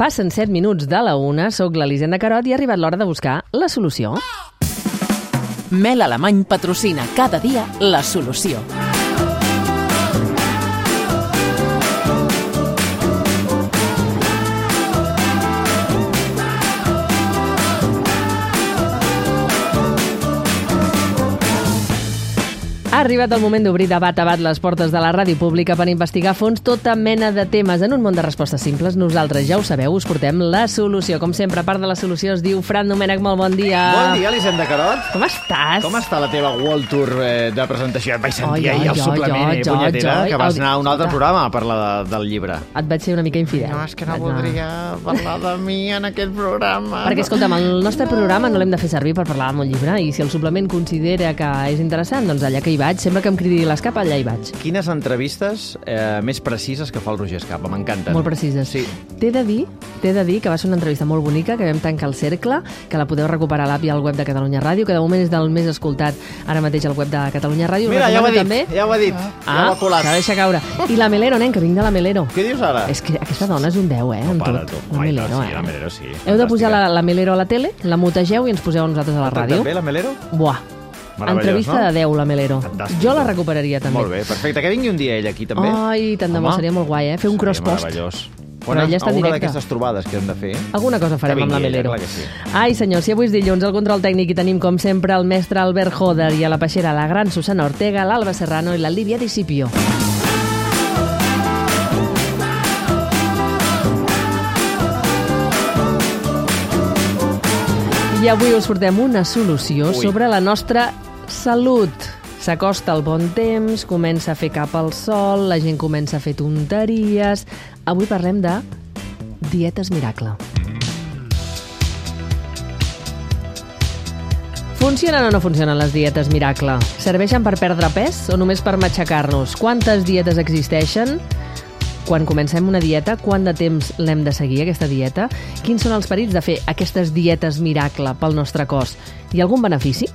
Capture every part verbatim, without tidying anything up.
Passen set minuts de la una, soc l'Elisenda Carot i ha arribat l'hora de buscar la solució. Mel Alemany patrocina cada dia la solució. Ha arribat el moment d'obrir de bat a bat les portes de la ràdio pública per investigar a fons tota mena de temes. En un món de respostes simples, nosaltres, ja ho sabeu, us portem la solució. Com sempre, part de la solució es diu Fran Domènech. Molt bon dia. Bon dia, Elisenda Carot. Com estàs? Com està la teva World Tour eh, de presentació? Et vaig sentir Oi, ahir al oi, suplement, oi, eh, oi, punyetera, oi, que vas oi, anar a un altre oi. programa a parlar de, del llibre. Et vaig ser una mica infidel. No, és que no Vaig anar- voldria parlar de mi en aquest programa. Perquè, escolta'm, el nostre programa no l'hem de fer servir per parlar d'un llibre, i si el suplement considera que és interessant, doncs allà que hi vaig, sempre que em cridi l'escap, allà hi vaig. Quines entrevistes eh, més precises que fa el Roger Escapa, m'encanten. Molt precises. Sí. T'he de dir, t'he de dir que va ser una entrevista molt bonica, que vam tancar el cercle, que la podeu recuperar a l'app i al web de Catalunya Ràdio, que de moment és del més escoltat ara mateix al web de Catalunya Ràdio. Mira, ja ho ha dit, També. ja ho ha dit. Ah, ja ho ha colat. s'ha deixat caure. I la Melero, nen, que vinc de la Melero. Què dius ara? És que aquesta dona és un deu, eh, en para, tot. tu. La Ai, Melero, no, sí, eh. la Melero, sí. Heu de posar Fantàstica. la, la Melero a la tele, la mutegeu i ens poseu a nosaltres a la ràdio. També, la Melero? Buah. Meravellós, Entrevista no? de deu, la Melero. Fantàstic. Jo la recuperaria, també. Molt bé, perfecte. Que vingui un dia ell aquí, també. Ai, tant de bo, Home. seria molt guai, eh? Fer un Seria cross-post. meravellós. Però ella està en alguna directe. d'aquestes trobades que hem de fer. Alguna cosa farem Que amb la vingui ella, Melero. clar que sí. Ai, senyor, si avui és dilluns, al control tècnic hi tenim, com sempre, el mestre Albert Joder, i a la peixera la gran Susana Ortega, l'Alba Serrano i la Lídia Discipio. I avui us portem una solució Ui. sobre la nostra salut. S'acosta el bon temps, comença a fer cap al sol, la gent comença a fer tonteries. Avui parlem de dietes miracle. Funcionen o no funcionen les dietes miracle? Serveixen per perdre pes o només per matxacar-nos? Quantes dietes existeixen? Quan comencem una dieta, quant de temps l'hem de seguir, aquesta dieta? Quins són els perills de fer aquestes dietes miracle pel nostre cos? Hi ha algun benefici?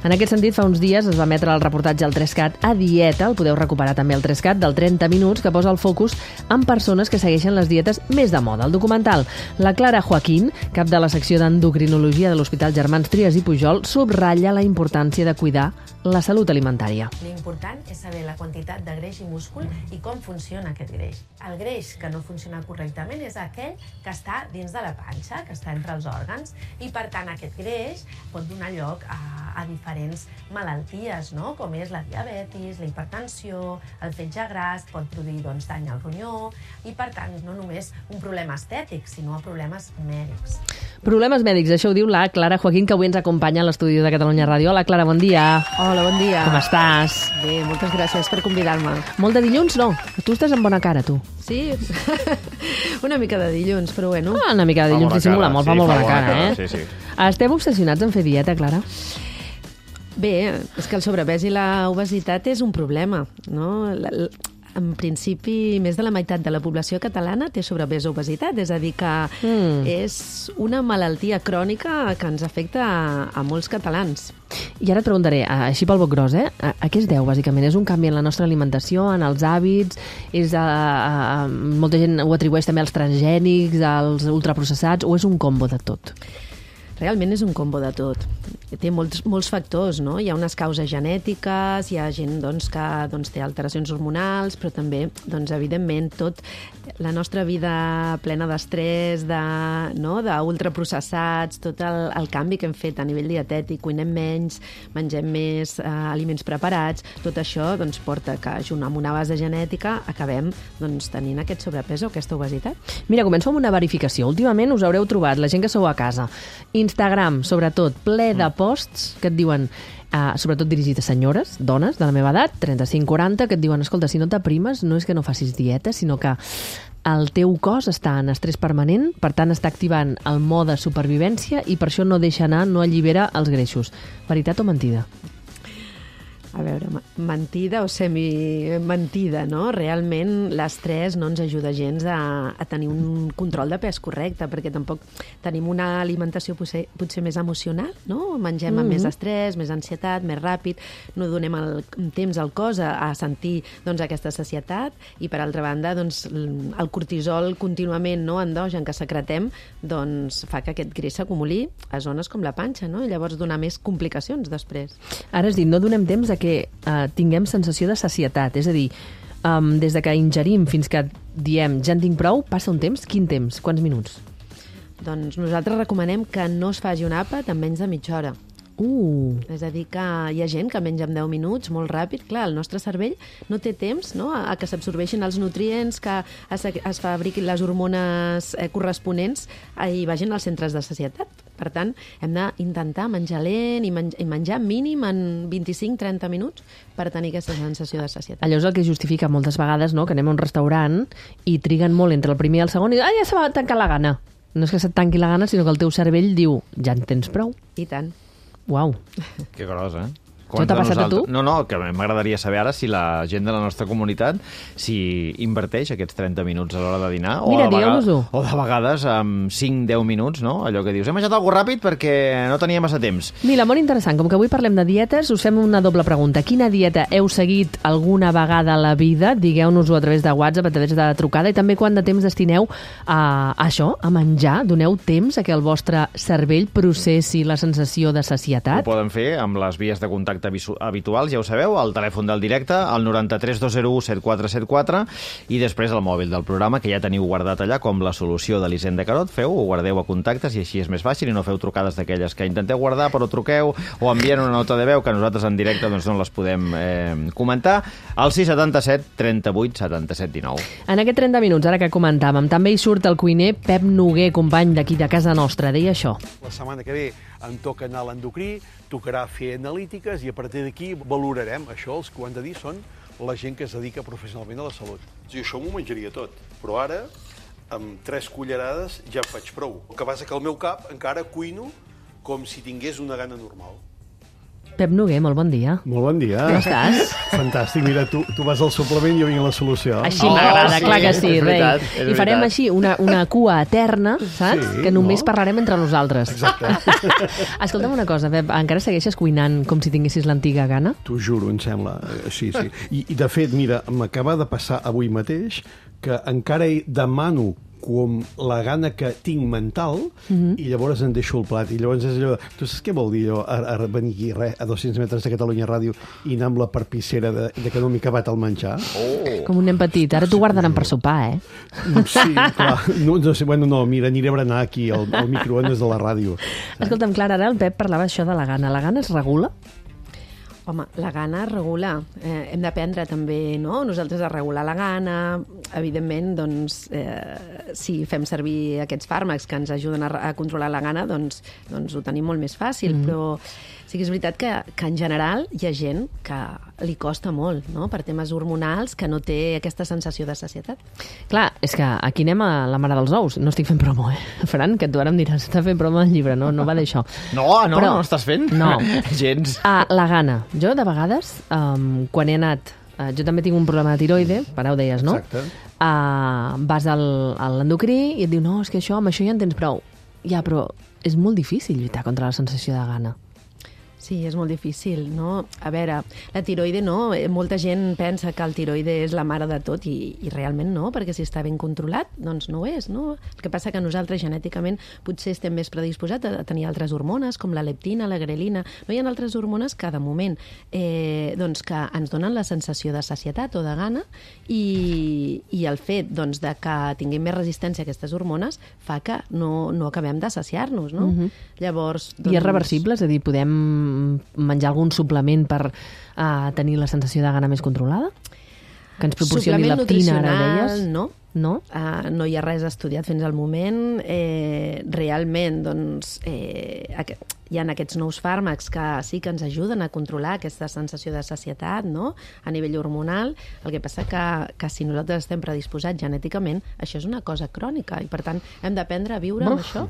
En aquest sentit, fa uns dies es va emetre el reportatge al tres cat a Dieta, el podeu recuperar també al tres cat, del trenta minuts, que posa el focus en persones que segueixen les dietes més de moda. El documental, la Clara Joaquín, cap de la secció d'endocrinologia de l'Hospital Germans Trias i Pujol, subratlla la importància de cuidar la salut alimentària. L'important és saber la quantitat de greix i múscul i com funciona aquest greix. El greix que no funciona correctament és aquell que està dins de la panxa, que està entre els òrgans, i per tant aquest greix pot donar lloc a, a diferents malalties, no? Com és la diabetis, la hipertensió, el fetge gras, pot produir doncs, dany al ronyó, i per tant no només un problema estètic, sinó problemes mèdics. Problemes mèdics, això ho diu la Clara Joaquín, que avui ens acompanya a l'estudi de Catalunya Ràdio. Hola, Clara, bon dia. Hola, bon dia. Com estàs? Bé, moltes gràcies per convidar-me. Molt de dilluns, no? Tu estàs amb bona cara, tu. Sí, una mica de dilluns, però bueno. Ah, una mica de Fa dilluns bona dissimula cara, molt, sí, fa molt fa bona bona cara, cara, eh? sí, sí. Esteu obsessionats en fer dieta, Clara? Bé, és que el sobrepès i la obesitat és un problema, no? La, la, en principi, més de la meitat de la població catalana té sobrepès o obesitat, és a dir, que Mm. és una malaltia crònica que ens afecta a, a molts catalans. I ara et preguntaré, a- així pel boc gros, eh? A, a què es deu, bàsicament? És un canvi en la nostra alimentació, en els hàbits? És a, a, a, molta gent ho atribueix també als transgènics, als ultraprocessats, o és un combo de tot? Realment és un combo de tot. Té molts, molts factors, no? Hi ha unes causes genètiques, hi ha gent doncs, que doncs, té alteracions hormonals, però també, doncs, evidentment, tot la nostra vida plena d'estrès, de, no? d'ultraprocessats, tot el, el canvi que hem fet a nivell dietètic, cuinem menys, mengem més eh, aliments preparats, tot això doncs, porta que, junt amb una base genètica, acabem doncs, tenint aquest sobrepès o aquesta obesitat. Mira, començo amb una verificació. Últimament us haureu trobat, la gent que sou a casa, Instagram, sobretot, ple de posts que et diuen, uh, sobretot dirigit a senyores, dones de la meva edat, trenta-cinc quaranta, que et diuen, escolta, si no t'aprimes, no és que no facis dieta, sinó que el teu cos està en estrès permanent, per tant està activant el mode supervivència i per això no deixa anar, no allibera els greixos. Veritat o mentida? A veure, mentida o semi-mentida, no? Realment l'estrès no ens ajuda gens a, a tenir un control de pes correcte, perquè tampoc tenim una alimentació potser, potser més emocional, no? Mengem amb mm-hmm. més estrès, més ansietat, més ràpid, no donem el temps al cos a, a sentir doncs, aquesta sacietat i, per altra banda, doncs, el cortisol contínuament no, endogen que secretem doncs, fa que aquest greix s'acumuli a zones com la panxa, no? I llavors donar més complicacions després. Ara has dit, no donem temps a que uh, tinguem sensació de sacietat, és a dir, um, des de que ingerim fins que diem ja en tinc prou, passa un temps? Quin temps? Quants minuts? Doncs nosaltres recomanem que no es faci un àpat en menys de mitja hora. Uh. És a dir, que hi ha gent que menja en deu minuts, molt ràpid. Clar, el nostre cervell no té temps no, a, a que s'absorbeixin els nutrients, que es, es fabriquin les hormones eh, corresponents i vagin als centres de sacietat. Per tant, hem d'intentar menjar lent i, men i menjar mínim en vint-i-cinc a trenta minuts per tenir aquesta sensació de sacietat. Allò és el que justifica moltes vegades no, que anem a un restaurant i triguen molt entre el primer i el segon i ah, ja se va tancar la gana. No és que se't tanqui la gana, sinó que el teu cervell diu ja en tens prou. I tant. Uau. Que gros, eh? Això t'ha passat a tu? No, no, que m'agradaria saber ara si la gent de la nostra comunitat si inverteix aquests trenta minuts a l'hora de dinar Mira, o, de digueu-nos-ho. o de vegades amb cinc a deu minuts, no? Allò que dius, he menjat alguna ràpid perquè no tenia massa temps. Mira, molt interessant. Com que avui parlem de dietes, us fem una doble pregunta. Quina dieta heu seguit alguna vegada a la vida? Digueu-nos-ho a través de WhatsApp, a través de trucada, i també quant de temps destineu a, a això, a menjar? Doneu temps a que el vostre cervell processi la sensació de sacietat? Ho poden fer amb les vies de contacte habituals, ja ho sabeu, el telèfon del directe, el noranta-tres dos zero u set quatre set quatre, i després el mòbil del programa, que ja teniu guardat allà com la solució de l'Hisenda Carot. Feu, ho guardeu a contactes i així és més fàcil i no feu trucades d'aquelles que intenteu guardar però truqueu o envien una nota de veu que nosaltres en directe doncs, no les podem eh, comentar. Al sis setanta-set trenta vuit setanta-set dinou. En aquest trenta minuts, ara que comentàvem, també hi surt el cuiner Pep Noguer, company d'aquí de casa nostra. Deia això. La setmana que ve em toca anar a l'endocrí, tocarà fer analítiques i a partir d'aquí valorarem. Això els que ho han de dir són la gent que es dedica professionalment a la salut. Sí, això m'ho menjaria tot, però ara amb tres cullerades ja en faig prou. El que passa que al meu cap encara cuino com si tingués una gana normal. Pep Noguer, molt bon dia. Molt bon dia. Com estàs? Fantàstic. Mira, tu, tu vas al suplement i jo vinc a la solució. Així m'agrada, oh, sí, clar que sí, és rei. veritat, és I farem veritat. així una, una cua eterna, saps? Sí, que només no? parlarem entre nosaltres. Exacte. Escolta'm una cosa, Pep, encara segueixes cuinant com si tinguessis l'antiga gana? T'ho juro, em sembla. Eh, Sí, sí. I, i de fet, mira, m'acaba de passar avui mateix que encara hi demano com la gana que tinc mental mm-hmm. i llavors em deixo el plat. I llavors és allò de, tu saps què vol dir allò? A, a venir aquí, res, a dos-cents metres de Catalunya Ràdio i anar amb la perpissera de, de que no m'he acabat el menjar. Oh. Com un nen petit. Ara t'ho guardaran per sopar, eh? Sí, clar. No, no sé, bueno, no, mira, aniré a berenar aquí al, al microones de la ràdio. Escolta'm, Clara, ara el Pep parlava això de la gana. La gana es regula? Home, la gana es regula. Eh, hem d'aprendre també, no?, nosaltres a regular la gana. Evidentment, doncs, eh, si fem servir aquests fàrmacs que ens ajuden a, a controlar la gana, doncs, doncs ho tenim molt més fàcil. Mm. Però sí que és veritat que, que en general hi ha gent que li costa molt, no?, per temes hormonals, que no té aquesta sensació de sacietat. Clar, és que aquí anem a la mare dels ous. No estic fent promo, eh? Fran, que tu ara em diràs, està fent promo del llibre, no, no va d'això. No, no, Però, no estàs fent? No. Gens. Ah, la gana. Jo, de vegades, um, quan he anat... Uh, jo també tinc un problema de tiroide, ara ho deies, no? Exacte. Uh, vas al, a l'endocrí i et diu, no, és que això, amb això ja en tens prou. Ja, però és molt difícil lluitar contra la sensació de gana. Sí, és molt difícil, no? A veure, la tiroide no, molta gent pensa que el tiroide és la mare de tot i, i realment no, perquè si està ben controlat, doncs no ho és, no? El que passa que nosaltres genèticament potser estem més predisposats a tenir altres hormones, com la leptina, la grelina. No hi ha altres hormones que, de moment, eh, doncs que ens donen la sensació de sacietat o de gana i, i el fet doncs, de que tinguem més resistència a aquestes hormones fa que no, no acabem de saciar-nos, no? Mhm. Llavors, doncs... I és reversible? És a dir, podem menjar algun suplement per uh, tenir la sensació de gana més controlada? Que ens proporcioni suplement leptina, ara nutricional, deies? no. No? Uh, no hi ha res estudiat fins al moment. Eh, realment, doncs, eh, aqu- hi ha aquests nous fàrmacs que sí que ens ajuden a controlar aquesta sensació de sacietat, no?, a nivell hormonal. El que passa que, que si nosaltres estem predisposats genèticament, això és una cosa crònica i, per tant, hem d'aprendre a viure amb Uf. això.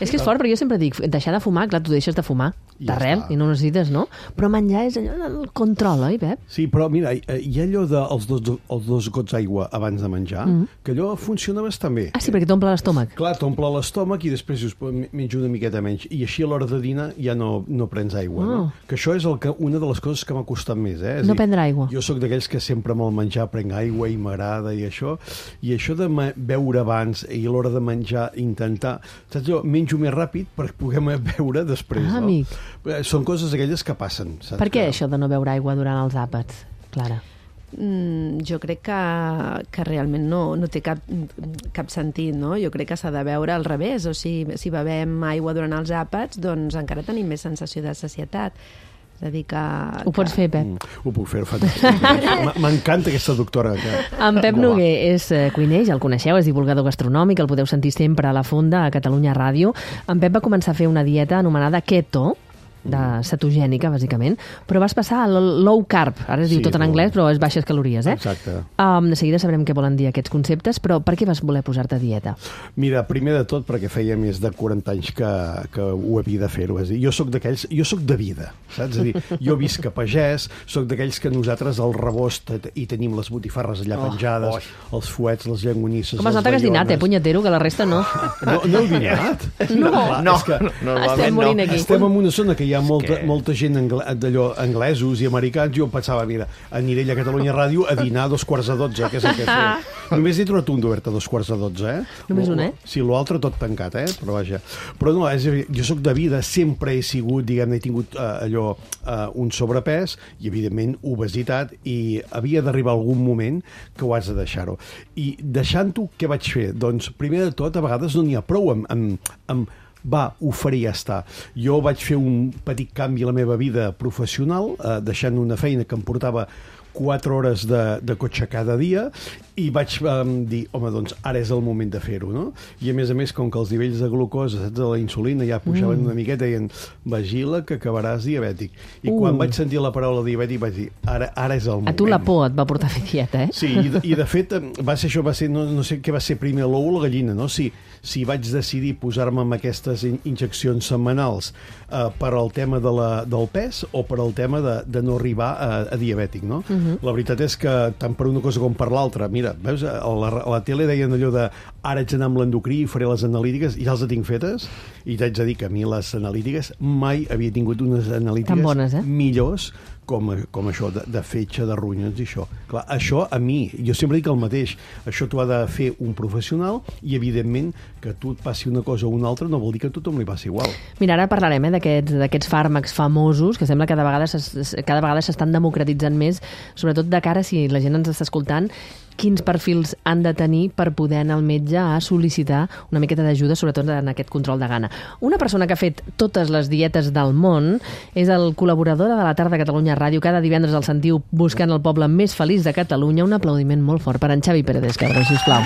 És que és fort, però jo sempre dic, deixar de fumar, clar, tu deixes de fumar. d'arrel, està. i no ho necessites, no? Però menjar és allò del control, oi, Pep? Sí, però mira, hi ha allò dels dos, els dos gots d'aigua abans de menjar, mm. que allò funciona bastant bé. Ah, sí, perquè t'omple l'estómac. Clar, t'omple l'estómac i després dius, menjo una miqueta menys. I així a l'hora de dinar ja no, no prens aigua, oh. no? Que això és el que, una de les coses que m'ha costat més, eh? És no dir, prendre aigua. Jo sóc d'aquells que sempre amb el menjar prenc aigua i m'agrada i això, i això de beure abans i a l'hora de menjar intentar, saps, jo menjo més ràpid per poder beure després, ah, no? Amic. Són coses aquelles que passen, saps? Per què que... això de no beure aigua durant els àpats, Clara? Mm, jo crec que, que realment no, no té cap, cap sentit, no? Jo crec que s'ha de veure al revés, o sigui, si bevem aigua durant els àpats, doncs encara tenim més sensació de sacietat. És a dir que... Ho pots fer, Pep? Mm, ho puc fer, fantàstic. M'encanta aquesta doctora. Que... En Pep Noguer és cuiner, ja el coneixeu, és divulgador gastronòmic, el podeu sentir sempre a la Fonda, a Catalunya Ràdio. En Pep va començar a fer una dieta anomenada keto, de cetogènica, bàsicament, però vas passar al low carb, ara es diu Sí, tot en anglès, però és baixes calories, eh? Exacte. Um, de seguida sabrem què volen dir aquests conceptes, però per què vas voler posar-te a dieta? Mira, primer de tot perquè feia més de quaranta anys que, que ho havia de fer-ho. És a dir, jo sóc d'aquells, jo sóc de vida, saps? És a dir, jo visc a pagès, sóc d'aquells que nosaltres al rebost hi tenim les botifarres allà oh, penjades, oh. els fuets, les llengonisses, com es nota que has dinat, eh, punyetero, que la resta no. No, no heu dinat? No, no, és que no, estem morint aquí. Estem en una zona que hi ha molta, que... molta gent angle, d'allò anglesos i americans. Jo pensava, mira, aniré allà a Catalunya Ràdio a dinar a dos quarts de dotze, que és el que fem. Només he trobat un d'obert a dos quarts de dotze, eh? Només un, eh? Sí, l'altre tot tancat, eh? Però vaja. Però no, és, jo sóc de vida, sempre he sigut, diguem-ne, he tingut uh, allò, uh, un sobrepès i, evidentment, obesitat, i havia d'arribar algun moment que ho has de deixar-ho. I deixant-ho, què vaig fer? Doncs, primer de tot, a vegades no n'hi ha prou amb, amb, amb va, ho faria ja està. Jo vaig fer un petit canvi a la meva vida professional, eh, deixant una feina que em portava quatre hores de, de cotxe cada dia, i vaig um, dir, home, doncs ara és el moment de fer-ho, no? I a més a més, com que els nivells de glucosa, saps, de la insulina ja pujaven mm. una miqueta, i en vigila que acabaràs diabètic. I uh. quan vaig sentir la paraula diabètic vaig dir, ara, ara és el moment. A tu la por et va portar a fer dieta, eh? Sí, i de, i de fet va ser això, va ser, no, no sé què va ser primer, l'ou o la gallina, no? Si, si vaig decidir posar-me amb aquestes in injeccions setmanals eh, per al tema de la, del pes o per al tema de, de no arribar a, a diabètic, no? Uh -huh. La veritat és que tant per una cosa com per l'altra, mira, veus, a la, a la tele deien allò de ara haig d'anar amb l'endocrí i faré les analítiques, i ja les tinc fetes, i t'haig de dir que a mi les analítiques mai havia tingut unes analítiques bones, eh? millors com, com això de, de fetge, de ronyons i això. Clar, això a mi, jo sempre dic el mateix, això t'ho ha de fer un professional, i evidentment que tu et passi una cosa o una altra no vol dir que a tothom li passi igual. Mira, ara parlarem eh, d'aquests fàrmacs famosos que sembla que cada vegada cada vegada s'estan democratitzant més, sobretot de cara, si la gent ens està escoltant, quins perfils han de tenir per poder anar al metge a sol·licitar una miqueta d'ajuda, sobretot en aquest control de gana. Una persona que ha fet totes les dietes del món és el col·laborador de la tarda a Catalunya Ràdio. Cada divendres el sentiu buscant el poble més feliç de Catalunya. Un aplaudiment molt fort per en Xavi Pérez, cabrón, sisplau.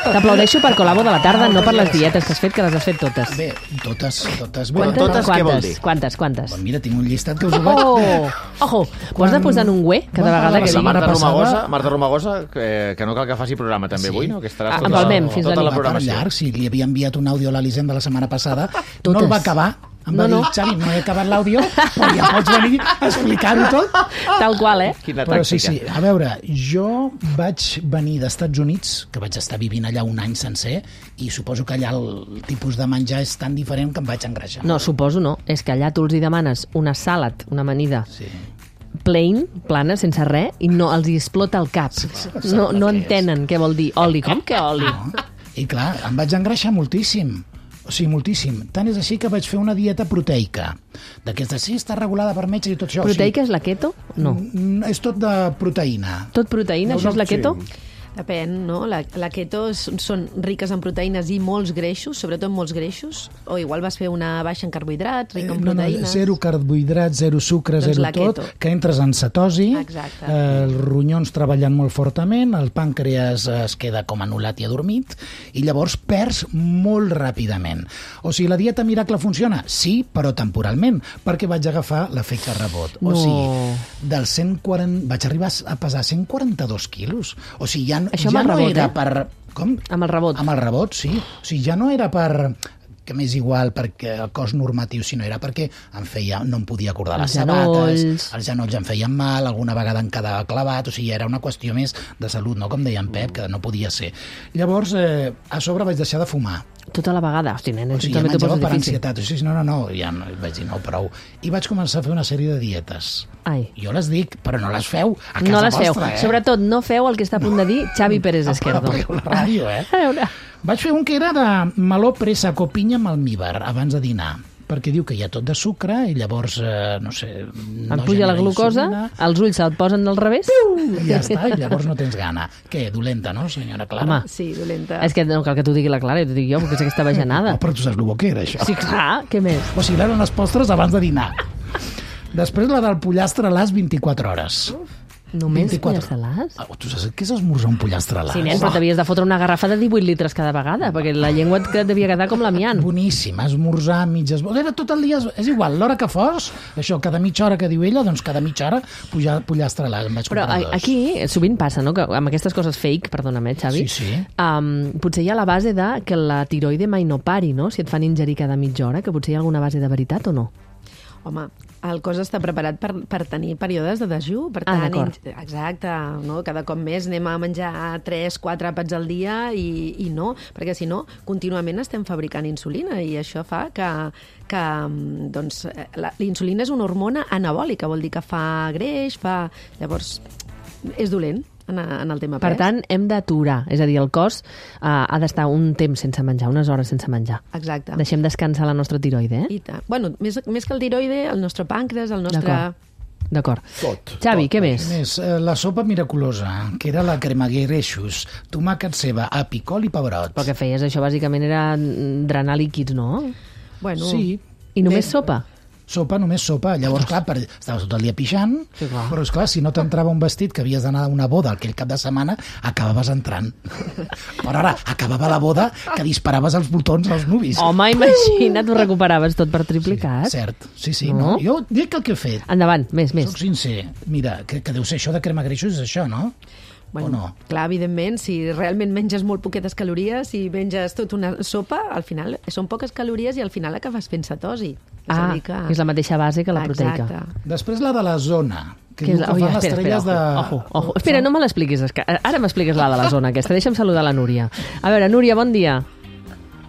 T'aplaudeixo per col·labo de la tarda, no per les dietes que has fet, que les has fet totes. Bé, totes, totes. Bé, Quantes, totes, què vol dir? Quantes, quantes? Bon, mira, tinc un llistat que us ho vaig... Oh! Ojo, ho has de posar en un güe cada vegada que La digui... Marta passada- Romagosa, Marta Romagosa que, que no cal que faci programa també Sí. avui, no? Que estaràs Ah, tota, empalmem fins tota la la nit. Va per programació. llarg, si li havia enviat un àudio a l'Elisenda la setmana passada, Totes. no el va acabar. Em va No, dir, no. Xavi, no he acabat l'àudio, però ja pots venir a explicar-ho tot. Tal qual, eh? Quina Però sí, tàctica. sí, a veure, jo vaig venir dels Estats Units, que vaig estar vivint allà un any sencer, i suposo que allà el tipus de menjar és tan diferent que em vaig engreixar. No, suposo no. És que allà tu els hi demanes una salad, una amanida, Sí. plain, plana, sense res, i no els hi explota el cap. No, no entenen què vol dir oli. Com que oli? No? I clar, em vaig engreixar moltíssim. O sigui, moltíssim. Tant és així que vaig fer una dieta proteica. D'aquesta, sí, està regulada per metges i tot això. Proteica és la keto? No. O sigui, mm, és tot de proteïna. Tot proteïna, No, això no, és la keto? sí. Depèn, no? La, la keto és- són riques en proteïnes i molts greixos, sobretot molts greixos, o igual vas fer una baixa en carbohidrats, rica en Eh, no, no, proteïnes. zero carbohidrats, zero sucre, Doncs zero la tot, keto. que entres en cetosi, Exacte. eh, els ronyons treballant molt fortament, el pàncreas es queda com anul·lat i adormit, i llavors perds molt ràpidament. O sigui, la dieta miracle funciona? Sí, però temporalment, perquè vaig agafar l'efecte rebot. O No. sigui, dels cent quaranta... vaig arribar a pesar cent quaranta-dos quilos. O sigui, ja, Això amb ja el no rebot, era eh? per... Com? Amb el rebot. Amb el rebot, sí. O sigui, ja no era per que m'és igual perquè el cos normatiu, sinó era perquè em feia, no em podia acordar les Els genolls. sabates, els genolls em feien mal, alguna vegada em quedava clavat, o sigui, era una qüestió més de salut, no? Com deia en Pep, que no podia ser. Llavors, eh, a sobre vaig deixar de fumar. Tota la vegada. Hosti, nen, O sigui, també t'ho menjava poses per difícil. ansietat. O sigui, no, no, no, ja no, vaig dir, no, prou. I vaig començar a fer una sèrie de dietes. Ai. Jo les dic, però no les feu a casa No les feu. vostra, eh? Sobretot, no feu el que està a punt de dir Xavi Pérez Esquerdo. Apagueu la ràdio, eh? A veure. Vaig fer un que era de meló, pressa, copinya amb almíbar, abans de dinar, perquè diu que hi ha tot de sucre i llavors, eh, no sé... Et no puja la genera glucosa, insulina. els ulls se't posen del revés. I ja està, i llavors no tens gana. Què, dolenta, no, senyora Clara? Home, Sí, dolenta. és que no cal que t'ho digui la Clara, jo t'ho dic jo, perquè és aquesta bajanada. Oh, però tu saps el que era, això. Sí, clar, què més? O sigui, eren les postres abans de dinar. Després la del pollastre a les vint-i-quatre hores. Només vint-i-quatre. pollastres? Ah, tu saps què és esmorzar un pollastre a l'as? Sí, nen, però t'havies de fotre una garrafa de divuit litres cada vegada, perquè la llengua et devia quedar com l'amiant. Boníssim, esmorzar, mitges... Era tot el dia, és igual, l'hora que fos, això, cada mitja hora que diu ella, doncs cada mitja hora pujar, pollastre a l'as, em vaig Però comprar a- dos. aquí sovint passa, no?, que amb aquestes coses fake, perdona'm, eh, Xavi, Sí, sí. Um, potser hi ha la base de que la tiroide mai no pari, no?, si et fan ingerir cada mitja hora, que potser hi ha alguna base de veritat o no? Home, el cos està preparat per, per tenir períodes de dejú, per Ah, tant, d'acord. in- exacte, no? Cada cop més anem a menjar tres, quatre àpats al dia i, i no, perquè si no, contínuament estem fabricant insulina i això fa que, que doncs, eh, la, la insulina és una hormona anabòlica, vol dir que fa greix, fa... Llavors, és dolent en, en el tema Per pes. tant, hem d'aturar, és a dir, el cos uh, ha d'estar un temps sense menjar, unes hores sense menjar. Exacte. Deixem descansar la nostra tiroide, eh? I tant. Bueno, més, més que el tiroide, el nostre pàncreas, el nostre... D'acord. D'acord. Tot. Xavi, tot. què més? Més, eh, la sopa miraculosa, que era la crema guerreixos, tomàquet, ceba, api, col i pebrot. Però que feies això bàsicament era drenar líquids, no? Bueno, Sí. I només Bé. sopa? Sopa, només sopa. Llavors, clar, per... estaves tot el dia pixant, Sí, clar. però, esclar, si no t'entrava un vestit que havies d'anar a una boda aquell cap de setmana, acabaves entrant. Però ara, acabava la boda que disparaves els botons als nuvis. Home, imagina't, ho recuperaves tot per triplicat. Cert, sí, sí. No? No? Jo dic el que he fet. Endavant, més, més. Soc sincer. Mira, que, que deu ser això de crema greixos, és això, no? Bueno, o no? clar, evidentment, si realment menges molt poquetes calories, si menges tota una sopa, al final són poques calories i al final acabes fent cetosi. És a Ah, dir que... és la mateixa base que la proteica. Exacte. Després la de la zona, que Què diu és que la... fan Oi, les espera, espera, estrelles de... ojo, ojo, ojo. Espera, no me l'expliquis. és que Ara m'expliques la de la zona aquesta. Deixa'm saludar la Núria. A veure, Núria, bon dia.